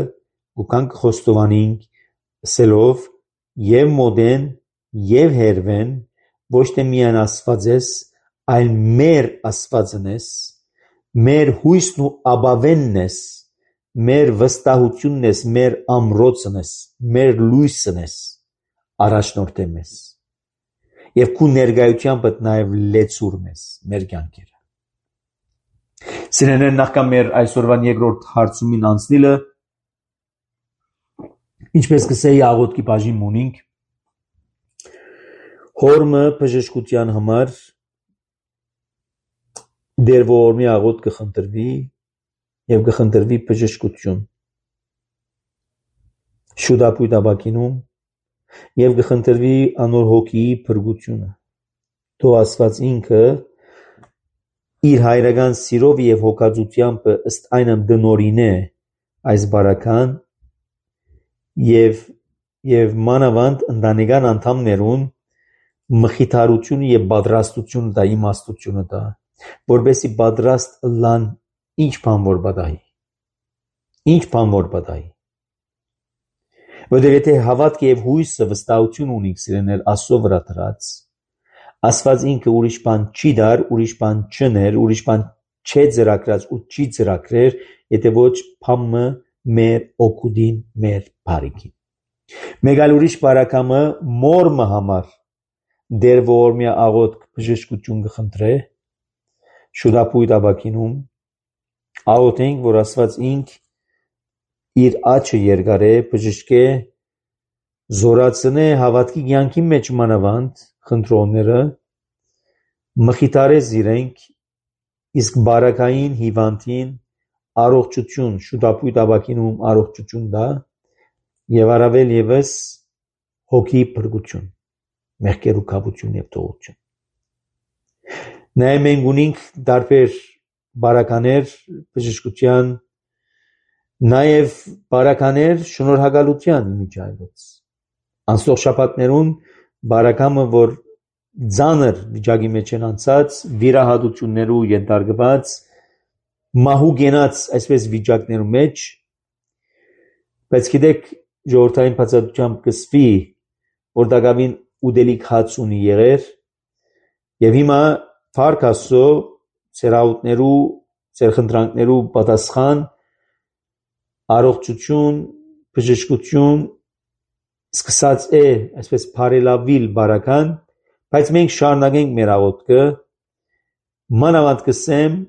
ուքանք խոստովանինք սելով եւ մոդեն եւ հերվեն ոչ թե միայն ասված ես այլ մեր ասվածն ես մեր հույսն ու ապավենն ես մեր վստահությունն ես մեր ամրոցն ես մեր լույսն ես առաջնորդեմ ես եւ քու ներկայությամբ նաեւ լեցուրն ես մեր կյանքերը Սիրելիներ նախքան մեր այսօրվան երկրորդ հարցումին անցնելը ինչպես կսեի աղոթքի բաժին ունենք հորմը բժշկության համար դեր ողորմի աղոթ կխնդրվի եւ կխնդրվի բժշկություն շուտապույտ ապակինում եւ կխնդրվի անոր հոգիի փրկությունը թող Աստված ինքը իր հայրական սիրով եւ հոգածությամբ ըստ այնմ դնորինե այս բարական եւ մանավանդ ընտանեկան անդամներուն մխիթարություն եւ պատրաստություն դա իմաստությունը դա որբեսի պատրաստ լան ինչ բան որ պատահի որովհետեւ եթե հավատք եւ հույսը վստահություն ունենք սիրելիներ Աստծո վրա դրած Աստված ինքը ուրիշ բան չի դար ուրիշ բան չներ ուրիշ բան չէ ծրագրած ու չի ծրագրեր եթե ոչ փամը մեր օգուտին մեր բարիքին մեկ այլ ուրիշ բարակամը մորմը համար դեր ողորմի աղոթք բժշկություն կխնդրե շուտապույտ ապակինում աղոթենք որ Աստված ինք իր աչքը երկարե բժշկե զորացնե հավատքի կյանքի մեջ մանավանդ խնդրողները մխիթարես իրենք իսկ բարակային հիվանդին առողջություն շուտապույտ ապակինում առողջություն դա եւ առավել եւս հոգի փրկություն մեղքերու կապություն եւ թողություն նաեւ մենք ունենք դարբեր բարականեր բժշկության նաեւ բարականեր շնորհակալության միջայլոց անցող շաբաթներուն բարակամը որ ծանր վիճակի մեջ են անցած վիրահատություններու ենթարկված մահու գենաց այսպես վիճակներու մեջ բայց գիտեք ժողովրդային բացատրությամբ կսվի որ դակավին ուդելիք հաց ունի եղեր եւ հիմա Փառք Աստծո ծեր աղոթներու ծեր խնդրանքներու պատասխան առողջություն բժշկություն սկսած է այսպես բարելավիլ բարական բայց մենք շարունակենք մեր աղոթքը մանավանդ կսեմ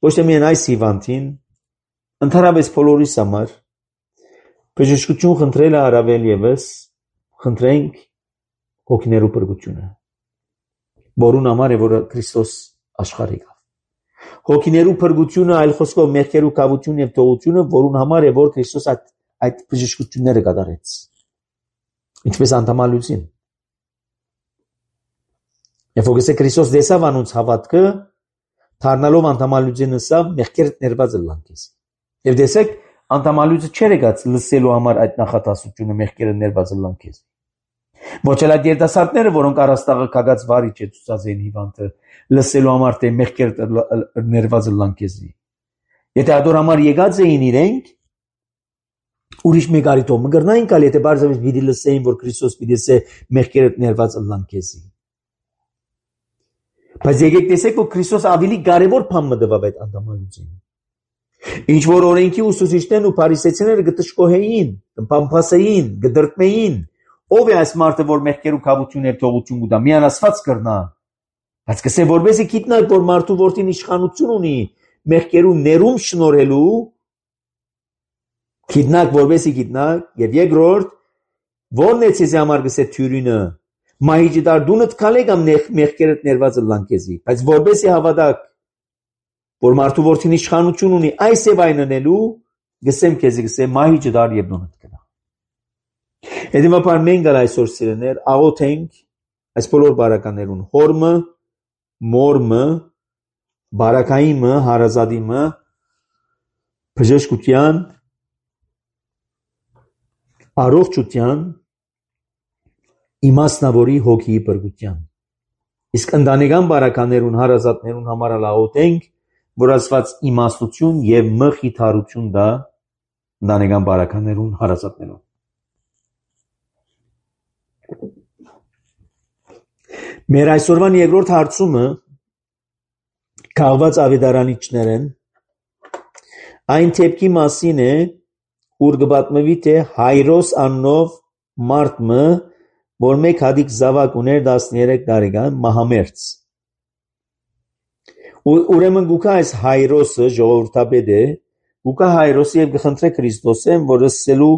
ոչ թե միայն այս հիվանդին ընդհանրապես բոլորիս համար բժշկություն խնդրելը առավել եւս խնդրենք հոգիներու փրկությունը որուն համար է որ Քրիստոս աշխարհ եկավ հոգիներու փրկությունը այլ խոսքով մեղքերու կավություն եւ թողությունը որուն համար է որ Քրիստոս այդ բժշկությունները կատարեց ինչպես անդամալուծին եւ ոգեսե Քրիստոս դեսավ անոնց հավատքը դառնալով անդամալուծին ըսավ մեղքերը ներված լանքես եւ դեսեք անդամալուծը չէր եկած լսելու համար այդ նախատասությունը մեղքերը ներված լանքես ոչ էլ այդ երիտասարդները որոնք առաստաղը կագած վարիչ է ցուցած են հիվանդը լսելու համար թե մեղքերը ներված լանքեսի եթե ադոր համար եկած էին իրենք ուրիշ մեկ արիտով մգրնային կալ եթե բարձրապես պիտի լսեին որ Քրիստոս պիտի ասե մեղքերը ներված լանքեսի բայց եկեք տեսեք որ Քրիստոս ավելի կարևոր բան մտավ այդ անդամալուծին ինչ որ օրենքի ուսուցիչներն ու փարիսեցիները գտշկոհեին, կմփամփասեին, գդրտմեին, ով է այս մարդը որ մեղքերու կավություն եւ թողություն կուտա, միան Աստված կրնա։ Բայց կսե որբեսի գիտնակ որ մարդու որդին իշխանություն ունի մեղքերու ներում շնորհելու, գիտնակ որբեսի գիտնակ եւ երկրորդ ո՞րն է ցեզի համար գսե թյուրինը, մահիճի դար դունդ քալե կամ մեղքերդ ներված լանկեզի, բայց որբեսի հավատակ որ մարդու որդին իշխանություն ունի այս եւ այն անելու գսեմ քեզի գսե մահի ջդար եւ նոնդ կնա Հետևաբար մենք այսօր սիրելիներ աղոթենք այս բոլոր բարականերուն հորմը, մորմը, բարակայինը, հարազատիմը, բժշկության, առողջության, իմաստնավորի հոգի բրգության։ Իսկ ընտանեկան բարականերուն հարազատներուն համար ալաղոտենք, որ ասված իմաստություն եւ մխիթարություն դա ընտանեկան բարականերուն հարազատներուն։ Մեր այսօրվան երկրորդ հարցումը քաղված ավետարանիչներեն այն թեփքի մասին է, ուր կպատմվի թե Հայրոս աննով մարդը, որ մեկ հատիկ զավակ ուներ 13 տարեկան մահամերձ։ Ուրեմն գուկա այս Հայրոսը ժողովրդապետ է, գուկա Հայրոսը եւ կխնդրե Քրիստոսեն, որ ասելու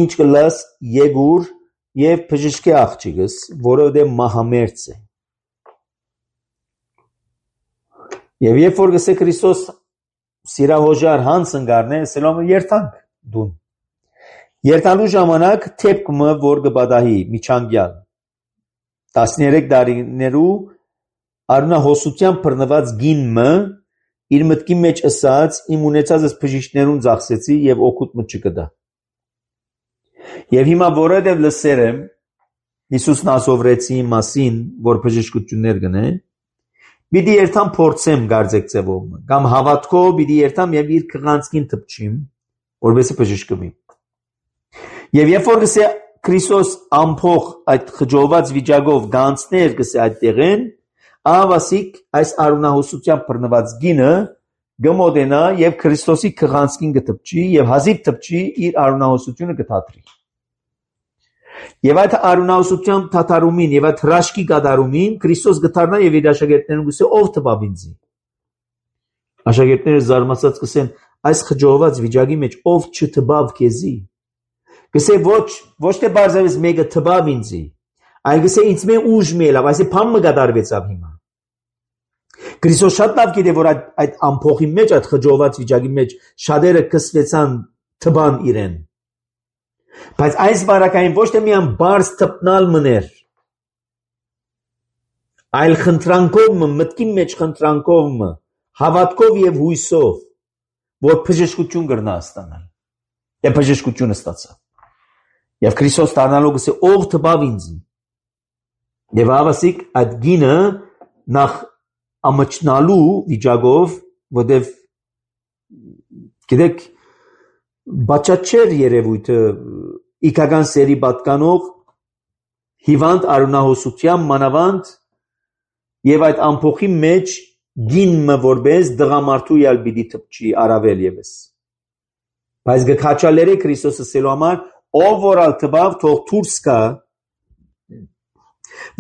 ինչ կլաս Եգուր եւ բժշկի աղջիկս, որովհետեւ մահամերձ է։ Եվ երբ որ գսե Քրիստոս սիրահոժար հանց ընկարնե, ասելով երթանք դուն։ Երթալու ժամանակ թեփքը որ կպատահի միջանկյալ 13 տարիներու արունահոսության բռնված գինը իր մտքի մեջ ասած իմ ունեցածս բժիշկներուն ծախսեցի եւ օգուտ մը չկդա։ Եվ հիմա որովհետեւ լսեր եմ Հիսուս Նազովրեցի մասին, որ բժշկություններ գնե, պիտի երթամ փորձեմ գարձեք ձևով, կամ հավատքով պիտի երթամ եւ իր քղանցքին թփչիմ, որովհետեւ բժշկվի։ Եվ երբ որ գսե Քրիստոս ամփոխ այդ խջոված վիճակով գանցներ գսե այդ տեղեն, ահավասիկ այս արունահոսության բռնված գինը գմոդենա եւ Քրիստոսի քղանցքին գտպչի եւ հազիվ թփչի իր արունահոսությունը գտադրի։ Եվ այդ արունահոսության թաթարումին եւ այդ հրաշքի կատարումին Քրիստոս գտարնա եւ իր աշակերտներուն գսե ով տվավ ինձի։ Աշակերտները զարմացած գսեն այս խջոված վիճակի մեջ ով չտվավ քեզի։ Գսե ոչ թե բարձրապես մեկը տվավ ինձի, այլ գսե ինձ մե ուժ մելավ, այսի փամը կատարվեցավ հիմա։ Քրիստոս շատ լավ գիտե որ այդ ամփոխի մեջ, այդ խջոված վիճակի մեջ շատերը կսվեցան տվան իրեն։ Բայց այս բարակային ոչ թե միայն բարձ տպնալ մներ, այլ խնդրանքով, մտքի մեջ խնդրանքով, հավատքով եւ հույսով, որ բժշկություն կրնա ստանալ։ Եվ բժշկությունը ստացավ։ Եվ Քրիստոս դառնալով գսե ով տվավ ինձի։ Եվ ավասիկ այդ գինը նախ ամճնալու վիճակով, որտեվ գիտեք բաճաչեր երևույթը իքական սերի պատկանող հիվանդ արունահոսության մանավանդ եւ այդ ամփոխի մեջ գինը որպես դղամարդու յալ պիտի թփչի արավել եւս։ Բայց գքաչալերը Քրիստոսը սելու համար ով որալ տվավ թող դուրս գա,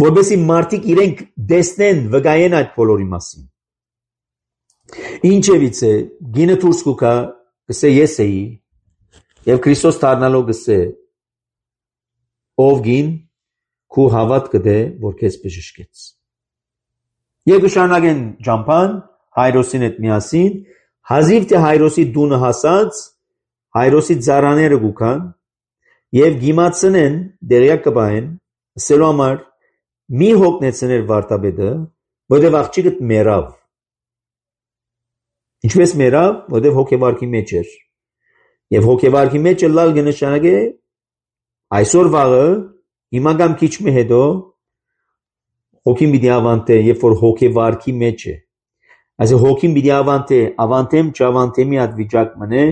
որպեսզի մարդիկ իրենք դեսնեն վկայեն այդ բոլորի մասին։ Ինչևից է գինը դուրս կուքա գսե ես էի եւ Քրիստոս դառնալով գսե ով գին քու հավատքը դե որ քեզ բժշկեց։ Եվ շարունակեն ճամփան Հայրոսին հետ միասին, հազիվ թե Հայրոսի դունը հասած, Հայրոսի ծառաները գուքան եւ գիմացնեն դերյակ կբային, ասելու համար մի հոգնեցներ վարտաբեդը, որտեղ աղջիկը մեռավ։ Ինչպես մեռավ, որտեղ հոգեվարքի մեջ էր։ Եվ հոգեվարքի մեջ լալ կնշանակե այսօր վաղը հիմա կամ քիչ մի հետո հոգին պիտի ավանտե, երբ որ հոգեվարքի մեջ է։ Այսինքն հոգին պիտի ավանտեմ չավանտեմի այդ վիճակ մնե,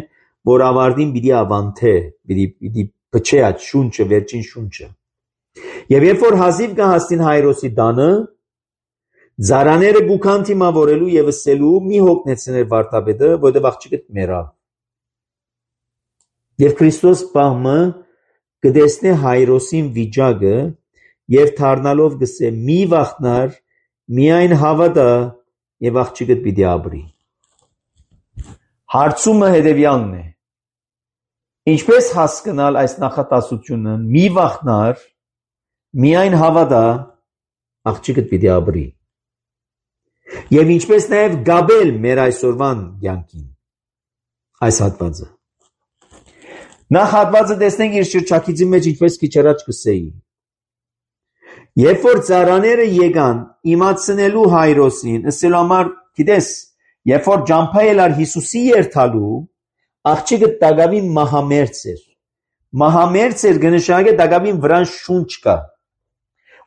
որ ավարտին պիտի ավանտե, պիտի փչե այդ շունչը, վերջին շունչը։ Եվ երբ որ հազիվ կհասնին Հայրոսի տանը, ծառաները գուքան թիմավորելու եւ ասելու մի հոգնեցներ վարտաբեդը, որտեղ աղջիկը մեռավ։ Եվ Քրիստոս բամը կդեսնե Հայրոսին վիճակը եւ դառնալով գսե մի վախնար, միայն հավատա եւ աղջիկը պիտի ապրի։ Հարցումը հետեւյալն է. ինչպես հասկանալ այս նախատասությունը մի վախնար, միայն հավատա աղջիկը պիտի ապրի։ Եվ ինչպես նաեւ գաբել մեր այսօրվան կյանքին այս հատվածը։ Նախ հատվածը տեսնենք իր շրջակիցի մեջ ինչպես քիչ առաջ կսեի։ Երբ որ ծառաները եկան իմացնելու Հայրոսին, ասելու համար, գիտես, երբ որ ջամփայել ար Հիսուսի երթալու, աղջիկը դակավին մահամերձ էր։ Մահամերձ էր գնշագե դակավին վրան շունչ կա։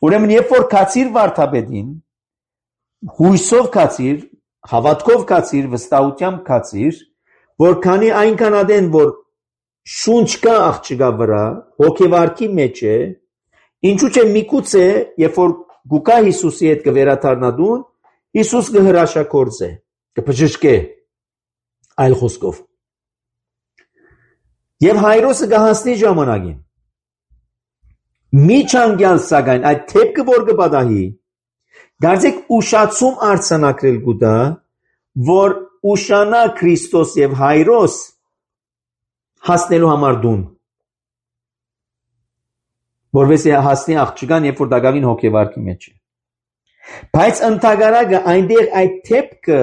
Ուրեմն երբ որ կացիր վարդապետին, հույսով կացիր, հավատքով կացիր, վստահությամբ կացիր, որ քանի այնքան ադեն որ շունչ կա աղջիկա վրա, հոգեվարքի մեջ է, ինչու՞ չէ միգուցե, երբ որ գուկա Հիսուսի հետ կվերաթարնադուն, Հիսուս կհրաշագործե, կբժշկե, այլ խոսքով։ Եվ Հայրոսը կհասնի ժամանակին։ Միջանկյալ սակայն այդ թեփքը որ կպատահի, գարձեք ուշացում արձանագրել գուտա, որ ուշանա Քրիստոս եւ Հայրոս հասնելու համար դուն, որովհետեւ հասնի աղջկան, երբ որ դակավին հոգեվարքի մեջ է։ Բայց ընդհանրակը այնտեղ այդ թեփքը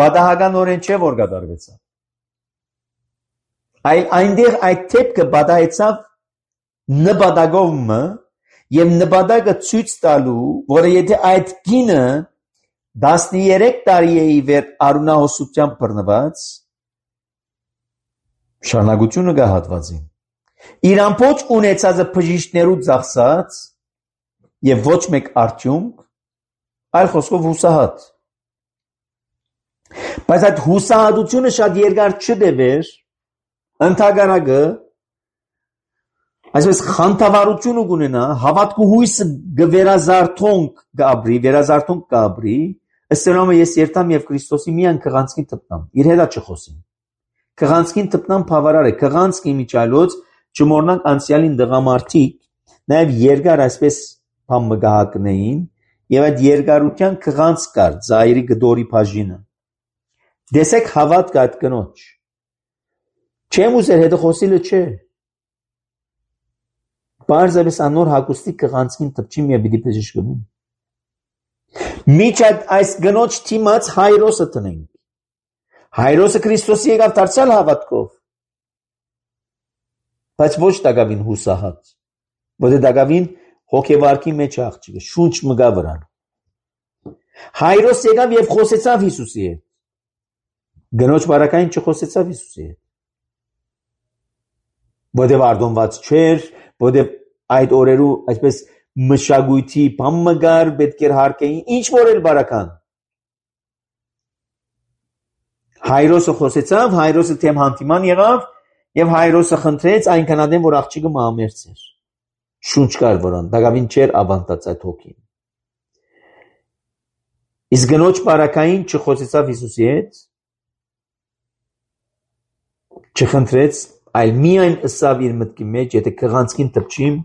բադահականորեն չէ որ կատարվեցավ։ Այլ այնտեղ այդ թեփքը բադահեցավ նպատակով եւ նպատակը ցույց տալու, որ եթե այդ կինը 13 տարի է իվեր արունահոսությամբ բռնված, շարունակությունը կա հատվածին։ Իր ամբողջ ունեցածը բժիշկներու ծախսած եւ ոչ մեկ արդյունք, այլ խոսքով հուսահատ։ Բայց այդ հուսահատությունը շատ երկար չտևեր, ընդհանրակը այսպես խանդավառությունը կունենա, հավատք ու հույսը վերազարթոնք կապրի, ըստ ես երթամ եւ Քրիստոսի միան քղանցքին տպնամ, իր հետ չխոսին։ Քղանցքին տպնամ բավարար է, քղանցքի միջալոց չմոռնանք անցյալին դղամարդիկ, նաեւ երկար այսպես բան մգահակնեին, եւ այդ երկարության քղանց կար, ծայրի գդորի բաժինը։ Դեսեք հավատք այդ կնոջ։ Չեմ ուզեր հետը խոսիլը չէ։ Պարզապես անոր հագուստի քղանցքին տպչիմ եւ պիտի բժշկվի։ Միջ այս գնոջ թիմած Հայրոսը տնենք։ Հայրոսը Քրիստոսի եկավ դարձյալ հավատքով։ Բայց ոչ դակավին հուսահատ, որը դակավին հոգեվարքի մեջ աղջիկը, շունչ մգա վրան։ Հայրոս եկավ եւ խոսեցավ Հիսուսի հետ։ Գնոջ բարակային չխոսեցավ Հիսուսի հետ։ Որտեւ արդոնված չէր, որտեւ այդ օրերու այսպես մշակույթի բան մգար, պետք էր հարկեին, ինչ որ էլ բարական։ Հայրոսը խոսեցավ, Հայրոսը թեմ հանդիման եղավ եւ Հայրոսը խնդրեց այնքան ադեն որ աղջիկը մահամերձ էր։ Շունչ կար որան, դակավին չէր ավանդած այդ հոգին։ Իսկ գնոջ բարակային չխոսեցավ Հիսուսի հետ, չխնդրեց, այլ միայն ըսավ իր մտքի մեջ, եթե քղանցքին տպչիմ,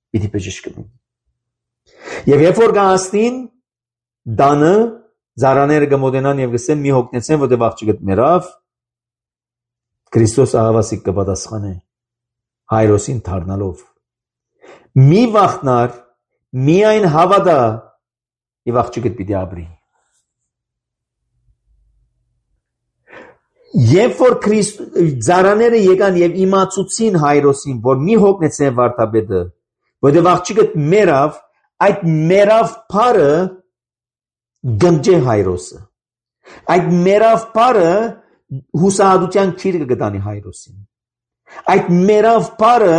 պիտի բժշկվի։ Եվ երբ որ գահստին դանը զարաները կմոտենան եւ գսեն մի հոգնեցեն, որտեղ աղջիկդ մեռավ, Քրիստոս ահավասիկ կպատասխանե Հայրոսին դառնալով։ Մի վախնար, միայն հավատա եւ աղջիկդ պիտի ապրի։ Երբ որ զարաները եկան եւ իմացուցին Հայրոսին, որ մի հոգնեցեն վարդապետը, որտեղ աղջիկդ մեռավ, այդ մեռավ բարը գնջե Հայրոսը։ Այդ մեռավ բարը հուսահատության քիրը կգտանի Հայրոսին։ Այդ մեռավ բարը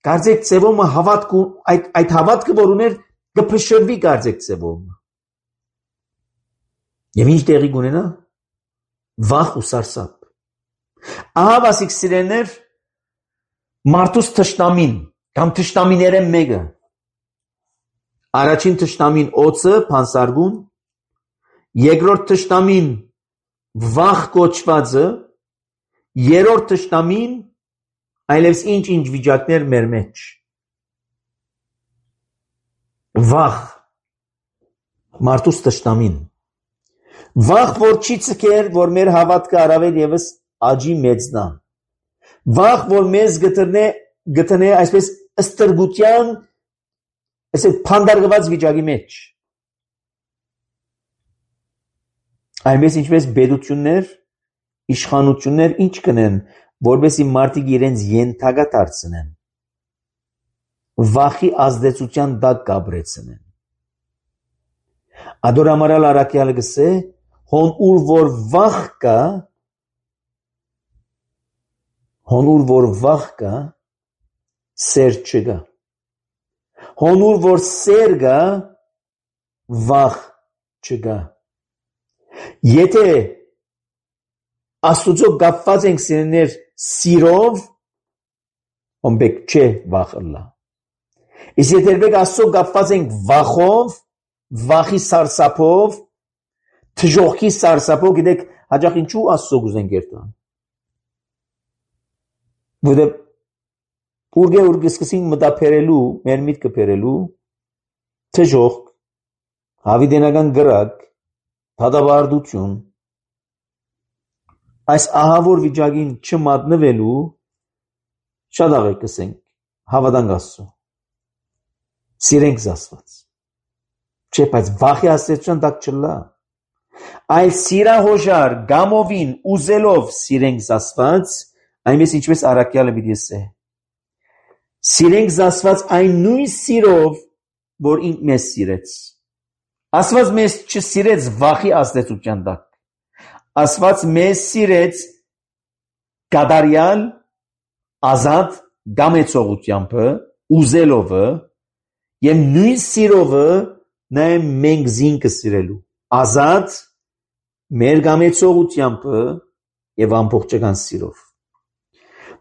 կարծեք ծևոմը հավատք ու այդ հավատքը որ ուներ կփշրվի կարծեք ծևոմը։ Եվ ինչ տեղի կունենա։ Վախ ու սարսափ։ Ահա վասիկ սիրելիներ մարդուս թշնամին կամ թշնամիները մեկը։ Առաջին թշնամին օծը փանսարգուն, երկրորդ թշնամին վախ կոչվածը, երրորդ թշնամին այլևս ինչ վիճակներ մեր մեջ։ Վախ մարդուս թշնամին։ Վախ որ չի ցկեր, որ մեր հավատքը առավել եւս աճի մեծնա։ Վախ որ մեզ գտնե այսպես ստրգության, այսպես փանդարգված վիճակի մեջ։ Այնպես ինչպես բեդություններ, իշխանություններ ինչ կնեն, որովհետեւ մարդիկ իրենց յենթակա դարձնեն։ վախի ազդեցության տակ կապրեցնեն։ Ադոր ամարալ արաքյալը գսե, հոն ուր որ վախ կա, սեր չկա։ Հոն ուր որ սեր կա, վախ չկա։ Եթե Աստուծո կապված ենք սիրեներ սիրով, հոմբեք չէ վախ ըլլա։ Իսկ եթե երբեք Աստծո կապված ենք վախով, վախի սարսափով, թժողքի սարսափով, գիտեք, հաճախ ինչու Աստծո գուզենք երթան։ Որտեղ ուր գսկսին մտափերելու, մեր միտքը փերելու, թժող, հավիդենական գրակ, դատավարդություն, այս ահավոր վիճակին չմատնվելու, շատ աղեք կսենք, հավատանք Աստծո, սիրենք Աստված, չէ, բայց վախի ազդեցության տակ չլա, այլ սիրահոժար գամովին ուզելով սիրենք Աստված, այնպես ինչպես առաքյալը պիտի ասե, սիրենք Աստված այն նույն սիրով, որ ինք մեզ սիրեց, Աստված մեզ չսիրեց վախի ազդեցության տակ, Աստված մեզ սիրեց կատարյալ, ազատ գամեցողությամբ, ուզելովը եւ նույն սիրովը նաեւ մենք զինքը սիրելու, ազատ մեր գամեցողությամբ եւ ամբողջական սիրով։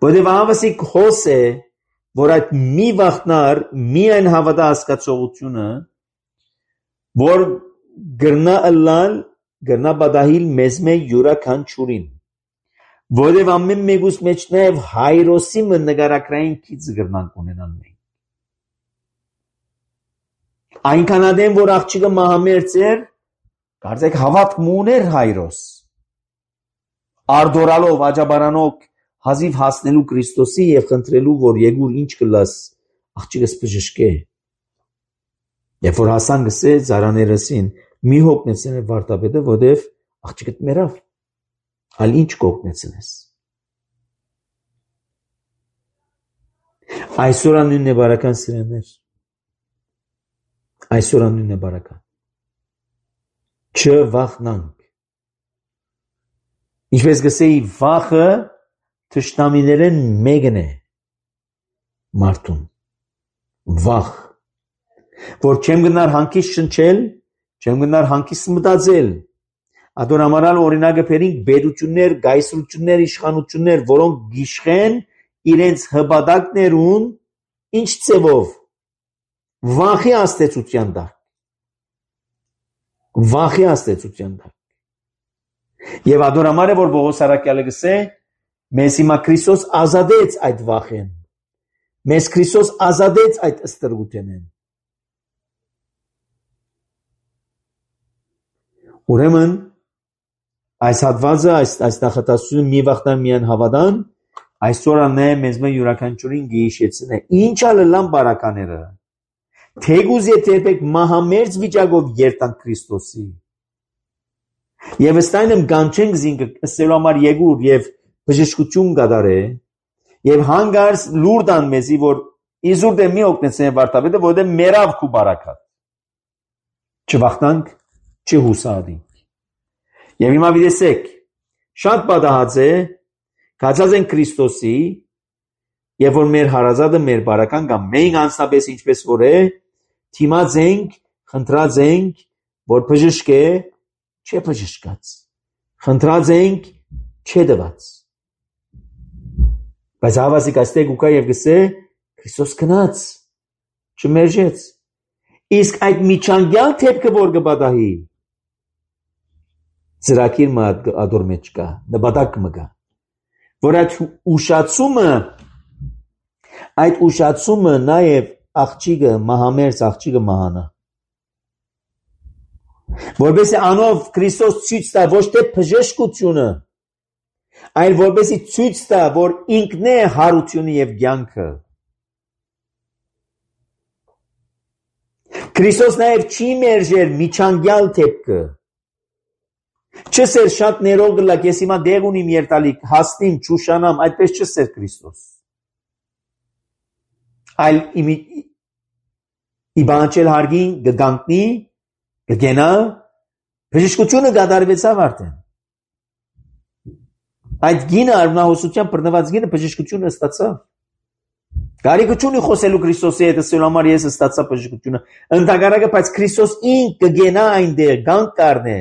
Որտեւ ավասիկ հոս է, որ այդ մի վախնար, միայն հավատա հասկացողությունը, որ գրնա ըլլալ գրնա բադահիլ մեզ մեր յուրաքանչյուրին, որև ամեն մեկուս մեջ նաև հայրոսի նկարակրային քիծ գրնանք ունենան մենք։ Այնքան ադեմ, որ աղջիկը մահամերձ էր, կարծեք հավատք մուներ հայրոս, արդորալով, աջաբարանով հազիվ հասնելու Քրիստոսի և խնդրելու, որ եկուր ինչ կլաս, աղջիկս բժշկե։ Երբ որ հասան գսե ծառաներըսին, մի հոգնեցնե վարտապետը, որտև աղջիկդ մեռավ, այլ ինչ կօգնեցնես։ Այսօր անունն է բարական սիրեներ, այսօր անունն է բարական, չվախնանք, ինչպես գսեի վախը թշնամիներեն մեկն է մարդուն, վախ, որ չեմ գնար հանգիստ շնչել, չեմ գնար հանգիստ մտածել, ադոր ամարալ օրինակը պերինք բերություններ, գայսրություններ, իշխանություններ, որոնք գիշխեն իրենց հպատակներուն, ինչ ծևով, վախի աստեցության տակ, վախի աստեցության տակ, և ադոր ամար է, որ Պողոս առաքյալը գսե, մեզ հիմա Քրիստոս ազատեց այդ վախեն, մեզ Քրիստոս ազատեց այդ ստրգութենեն, ուրեմն այս հատվածը, այս նախատասությունը մի վախտան միան հավատան, այսօր անե մեզ մեր յուրաքանչյուրին գիշեցն է, ինչ ալլան բարակաները, թեգուզ երբեք մահամերձ վիճակով երտանք Քրիստոսի, և ըստայնմ գանչենք զինքը ըստելու համար եկուր և բժշկություն կատարե, և հանգարս լուրդան մեզի, որ իզուր դե մի օգնեցնե վարտապետը, որտեղ մերավ քու բարակատ, չվախտանք, չհուսադինք։ Եվ հիմա վիդեսեք, շատ պատահած է, կացած են Քրիստոսի, և որ մեր հարազատը մեր բարական կամ մենք անձնապես ինչպես որ է, թիմած ենք, խնդրած ենք, որ բժշկե, չէ բժշկած, խնդրած ենք, չէ դված։ Բայց հավասիկ այստեղ ուկա և գսե, Քրիստոս կնաց, չմերժեց, իսկ այդ միջանկյալ թեպքը որ կպատահի, ծրակիր մատ ադոր մեջ կա, նպատակ մգա, որ այդ ուշացումը նաև աղջիկը, մահամերձ աղջիկը մահանա, որպեսզի անով Քրիստոս ցույց տա ոչ թե բժշկությունը, այլ որպեսզի ցույց տա, որ ինքն է հարությունը և կյանքը։ Քրիստոս նաև չի մերժեր միջանկյալ թեպքը, չսեր շատ ներող գլակ, ես հիմա դեղ ունիմ երտալիք, հասնիմ, չուշանամ, այդպես չսեր Քրիստոս, այլ իբանչել հարգին գգանտնի գգենա բժշկությունը գդարվեցավ արդեն այդ գինը արմնահոսության բռնված գինը բժշկությունը ստացավ Գարիգությունի խոսելու Քրիստոսի հետ ասելու համար ես ստացա բժշկությունը ընդհանրակը բայց Քրիստոս ինքը կգենա այնտեղ գանք կառնե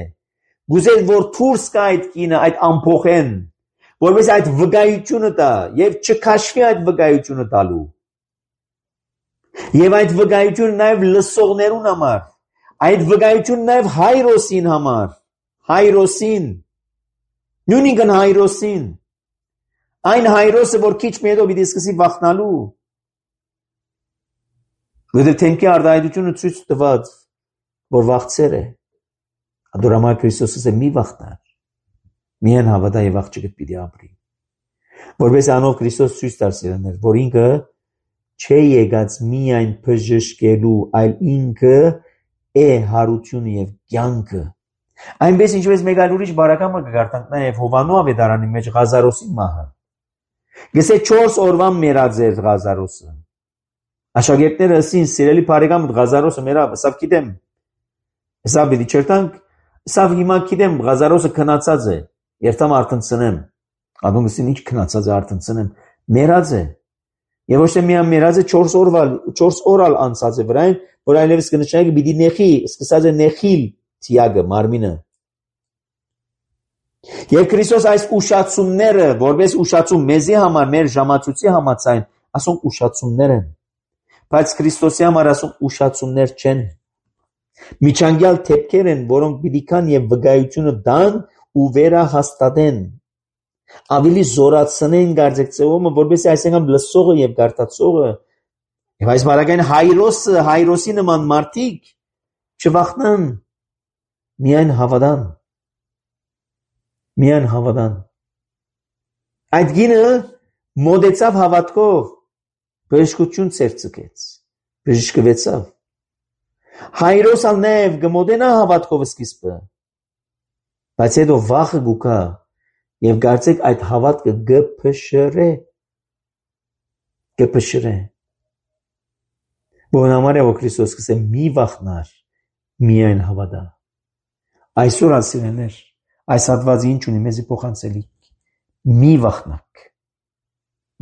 գուզել որ դուրս գա այդ գինը այդ ամփոխեն որպես այդ վկայությունը տա եւ չքաշվի այդ վկայությունը տալու եւ այդ վկայությունը նաեւ լսողներուն համար այդ վկայությունը նաեւ հայրոսին համար հայրոսին նույնիսկ հայրոսին այն հայրոսը որ քիչ մի հետո պիտի սկսի վախնալու Որովհետև թեմքի արտահայտությունը ցույց տված, որ վախցեր է։ Ադորամար Քրիստոսը մի վախտար։ Միայն հավատա եւ աղջիկը պիտի ապրի։ Որպես անով Քրիստոս ցույց տար սիրելիներ, որ ինքը չէ եկած միայն բժշկելու, այլ ինքը է հարությունը եւ կյանքը։ Այնպես ինչպես մեկ այլ ուրիշ բարակամը կգարտանք նաեւ Հովանու ավետարանի մեջ Ղազարոսի մահը։ Գսե 4 օրվան մեռած էր Ղազարոսը։ Աշակերտները ասին սիրելի բարեկամ Ղազարոսը մեռավ, ասավ գիտեմ։ Ասավ դի չերտանք, ասավ հիմա գիտեմ Ղազարոսը քնացած է, երթամ արտնցնեմ։ Ադոնգսին ինչ քնացած է արտնցնեմ, մեռած է։ Եվ ոչ թե միայն մեռած է 4 օրալ անցած է վրան, որ այլևս կնշանակի պիտի նեխի, սկսած է նեխիլ թիագը մարմինը։ Եվ Քրիստոս այս ուշացումները, որպես ուշացում մեզի համար, մեր ժամացույցի համաձայն, ասում ուշացումներ են։ Բայց Քրիստոսի համար ասում ուշացումներ չեն։ Միջանկյալ թեփքեր են, որոնք պիտի կան եւ վկայությունը տան ու վերահաստատեն։ Ավելի զորացնեն գարձեցումը, որովհետեւ այսինքն լսողը եւ գարտացողը եւ այս բարակային հայրոսի նման մարդիկ չվախնան, միայն հավատան։ Միայն հավատան։ Այդ գինը մոդեցավ հավատքով բժշկություն ցերծկեց բժշկվեցավ հայրոսալ նև գմոդենա հավատքով սկիզբը բայց հետո վախը գուկա եւ գարցեք այդ հավատքը գփշրե բոնամարը որ Քրիստոս կսե մի վախնար միայն հավատա այսօր ասիրներ այս հատվածը ինչ ունի մեզի փոխանցելիք մի վախնակ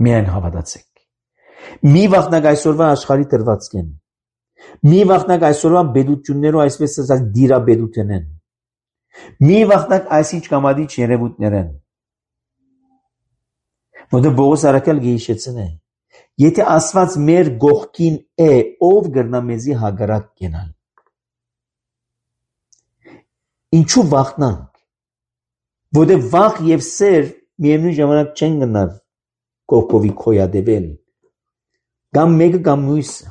միայն հավատացեք Մի վախնակ այսօրվա աշխարհի դրվածքեն։ Մի վախնակ այսօրվա բեդություններով այսպես ասած դիրաբեդութեն են։ Մի վախնակ այսինչ կամադիչ երևույթներ են։ Որտեղ Բողոս արաքյալ գեհիշեցն է։ Եթե Աստված մեր գողքին է, ով կգնա մեզի հագարակ կենալ։ Ինչու վախնանք։ Որտեղ վախ եւ սեր միևնույն ժամանակ չեն գնալ կողքովի քոյադեվել։ Կամ մեկը կամ մյուսը։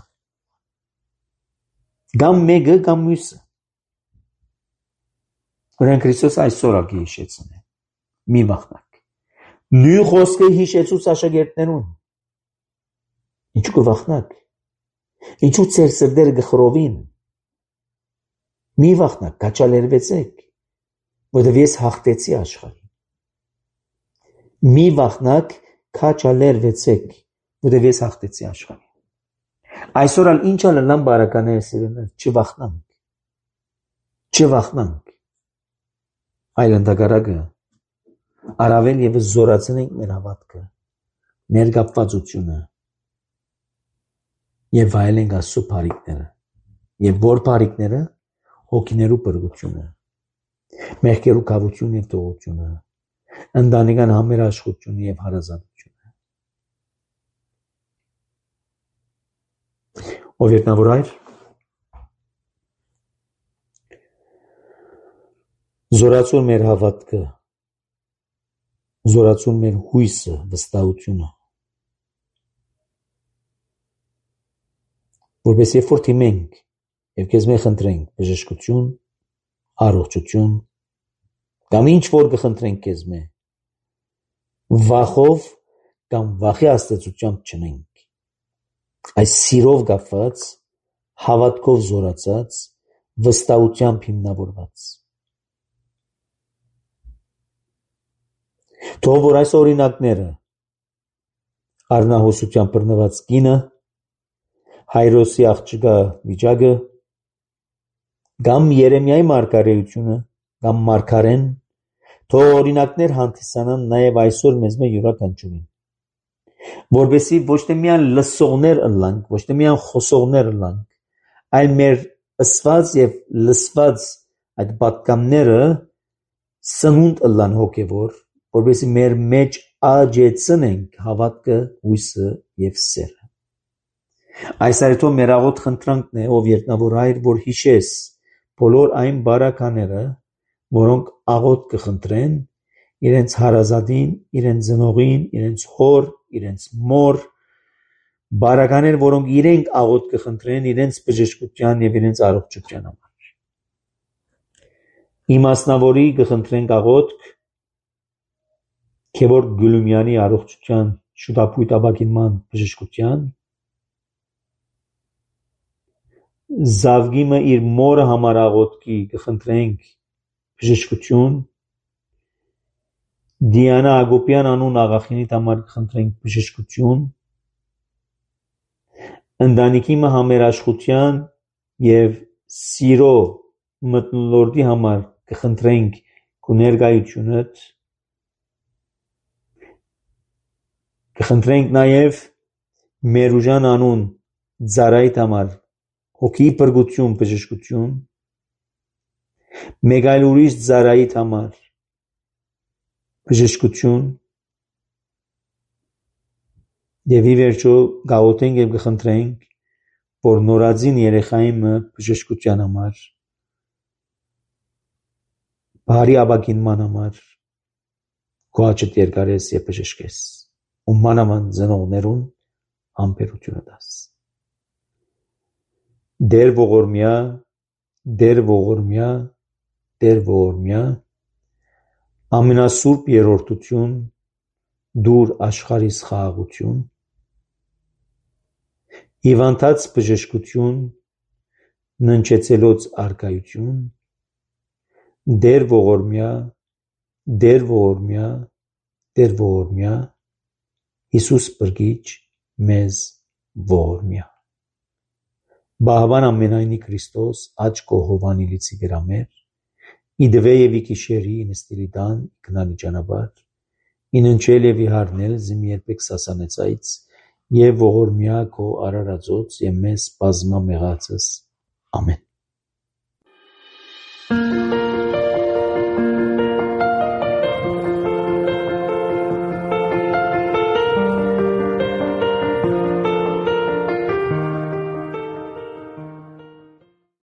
Կամ մեկը կամ մյուսը։ Որն Քրիստոս այսօր ակի հիշեցն է։ Մի վախնակ։ Նույն խոսքը հիշեցուց աշակերտներուն։ Ինչու կվախնակ։ Ինչու ծեր սրդերը գխրովին։ Մի վախնակ, կաչալերվեցեք, որովհետև ես հաղթեցի աշխարհին։ Մի վախնակ, կաչալերվեցեք, որովհետև ես հաղթեցի աշխարհին։ Այսօր ալ ինչ ալնան բարականներ սիրելիներ, չվախնանք։ Այլ ընդհակառակը առավել եւս զորացնենք մեր հավատքը, մեր կապվածությունը եւ վայելենք Աստծո բարիքները։ Եվ որ բարիքները հոգիներու բրգությունը, մեղքերու կավությունը եւ տողությունը, ընտանեկան համերաշխությունը եւ հարազատությունը։ Ով երտնավոր այր, զորացուն մեր հավատքը, զորացուն մեր հույսը, վստահությունը, որպես երբ որ թիմենք եւ քեզ մենք խնդրենք բժշկություն, առողջություն, կամ ինչ որ կխնդրենք քեզ մենք, վախով կամ վախի աստեցությամբ չնենք, այս սիրով կապված, հավատքով զորացած, վստահությամբ հիմնավորված։ Թող որ այս օրինակները արնահոսությամբ բռնված կինը, Հայրոսի աղջկա վիճակը կամ Երեմիայի մարգարեությունը կամ մարգարեն թող օրինակներ հանդիսանան նաև այսօր մեզ յուրաքանչյուրին, որովհետեւ ոչ թե միայն լսողներ ըլլանք, ոչ թե միայն խոսողներ ըլլանք, այլ մեր ըսված եւ լսված այդ պատգամները սնունդ ըլլան հոգևոր, որովհետեւ մեր մեջ աճեցնենք հավատքը, հույսը եւ սերը։ Այս այդո մեր աղոտ խնդրանքն է, ով երկնավոր Հայր, որ հիշես բոլոր այն բարակաները, որոնք աղոտ կխնդրեն իրենց հարազատին, իրենց ծնողին, իրենց հոր, իրենց մոր, բարականեր, որոնք իրենք աղոտ կխնդրեն իրենց բժշկության եւ իրենց առողջության համար։ Իմասնավորի կխնդրենք աղոտ Քևոր Գյուլումյանի առողջության շուտապույտ ապագինման բժշկության, Զավգիմը իր մորը համար աղոթքի կխնդրենք բժշկություն, Դիանա Ագոպյան անուն աղախինիդ համար կխնդրենք բժշկություն, ընտանիքի համերաշխության եւ սիրո մթնոլորտի համար կխնդրենք քո ներկայությունդ, կխնդրենք նաեւ Մերուժան անուն ծառայիդ համար հոգի բրգություն բժշկություն, մեկ այլ ուրիշ ծառայիդ համար բժշկություն եւ ի վերջո գաղութենք եւ կխնդրենք որ նորածին երեխայինը բժշկության համար բարի ապագինման համար քո աչքդ երկարես եւ բժշկես ու մանավանդ ծնողներուն համբերությունը տաս Դեր ողորմյա, Դեր ողորմյա, Դեր ողորմյա, ամենասուրբ երրորդություն, դուր աշխարհիս խաղաղություն, հիվանդած բժշկություն, ննչեցելոց արկայություն, Դեր ողորմյա, Դեր ողորմյա, Դեր ողորմյա, Հիսուս բրգիչ մեզ ողորմյա Բահավան ամենայնի Քրիստոս աճ կողովանի լիցի գրամեր իդվե եւ իքիշերի ինստիլիդան կնալի ճանապարհ ինընչել եւ իհարնել զիմ երբեք սասանեցայց եւ ողորմյա քո արարածոց եւ մեզ բազմա մեղածս ամեն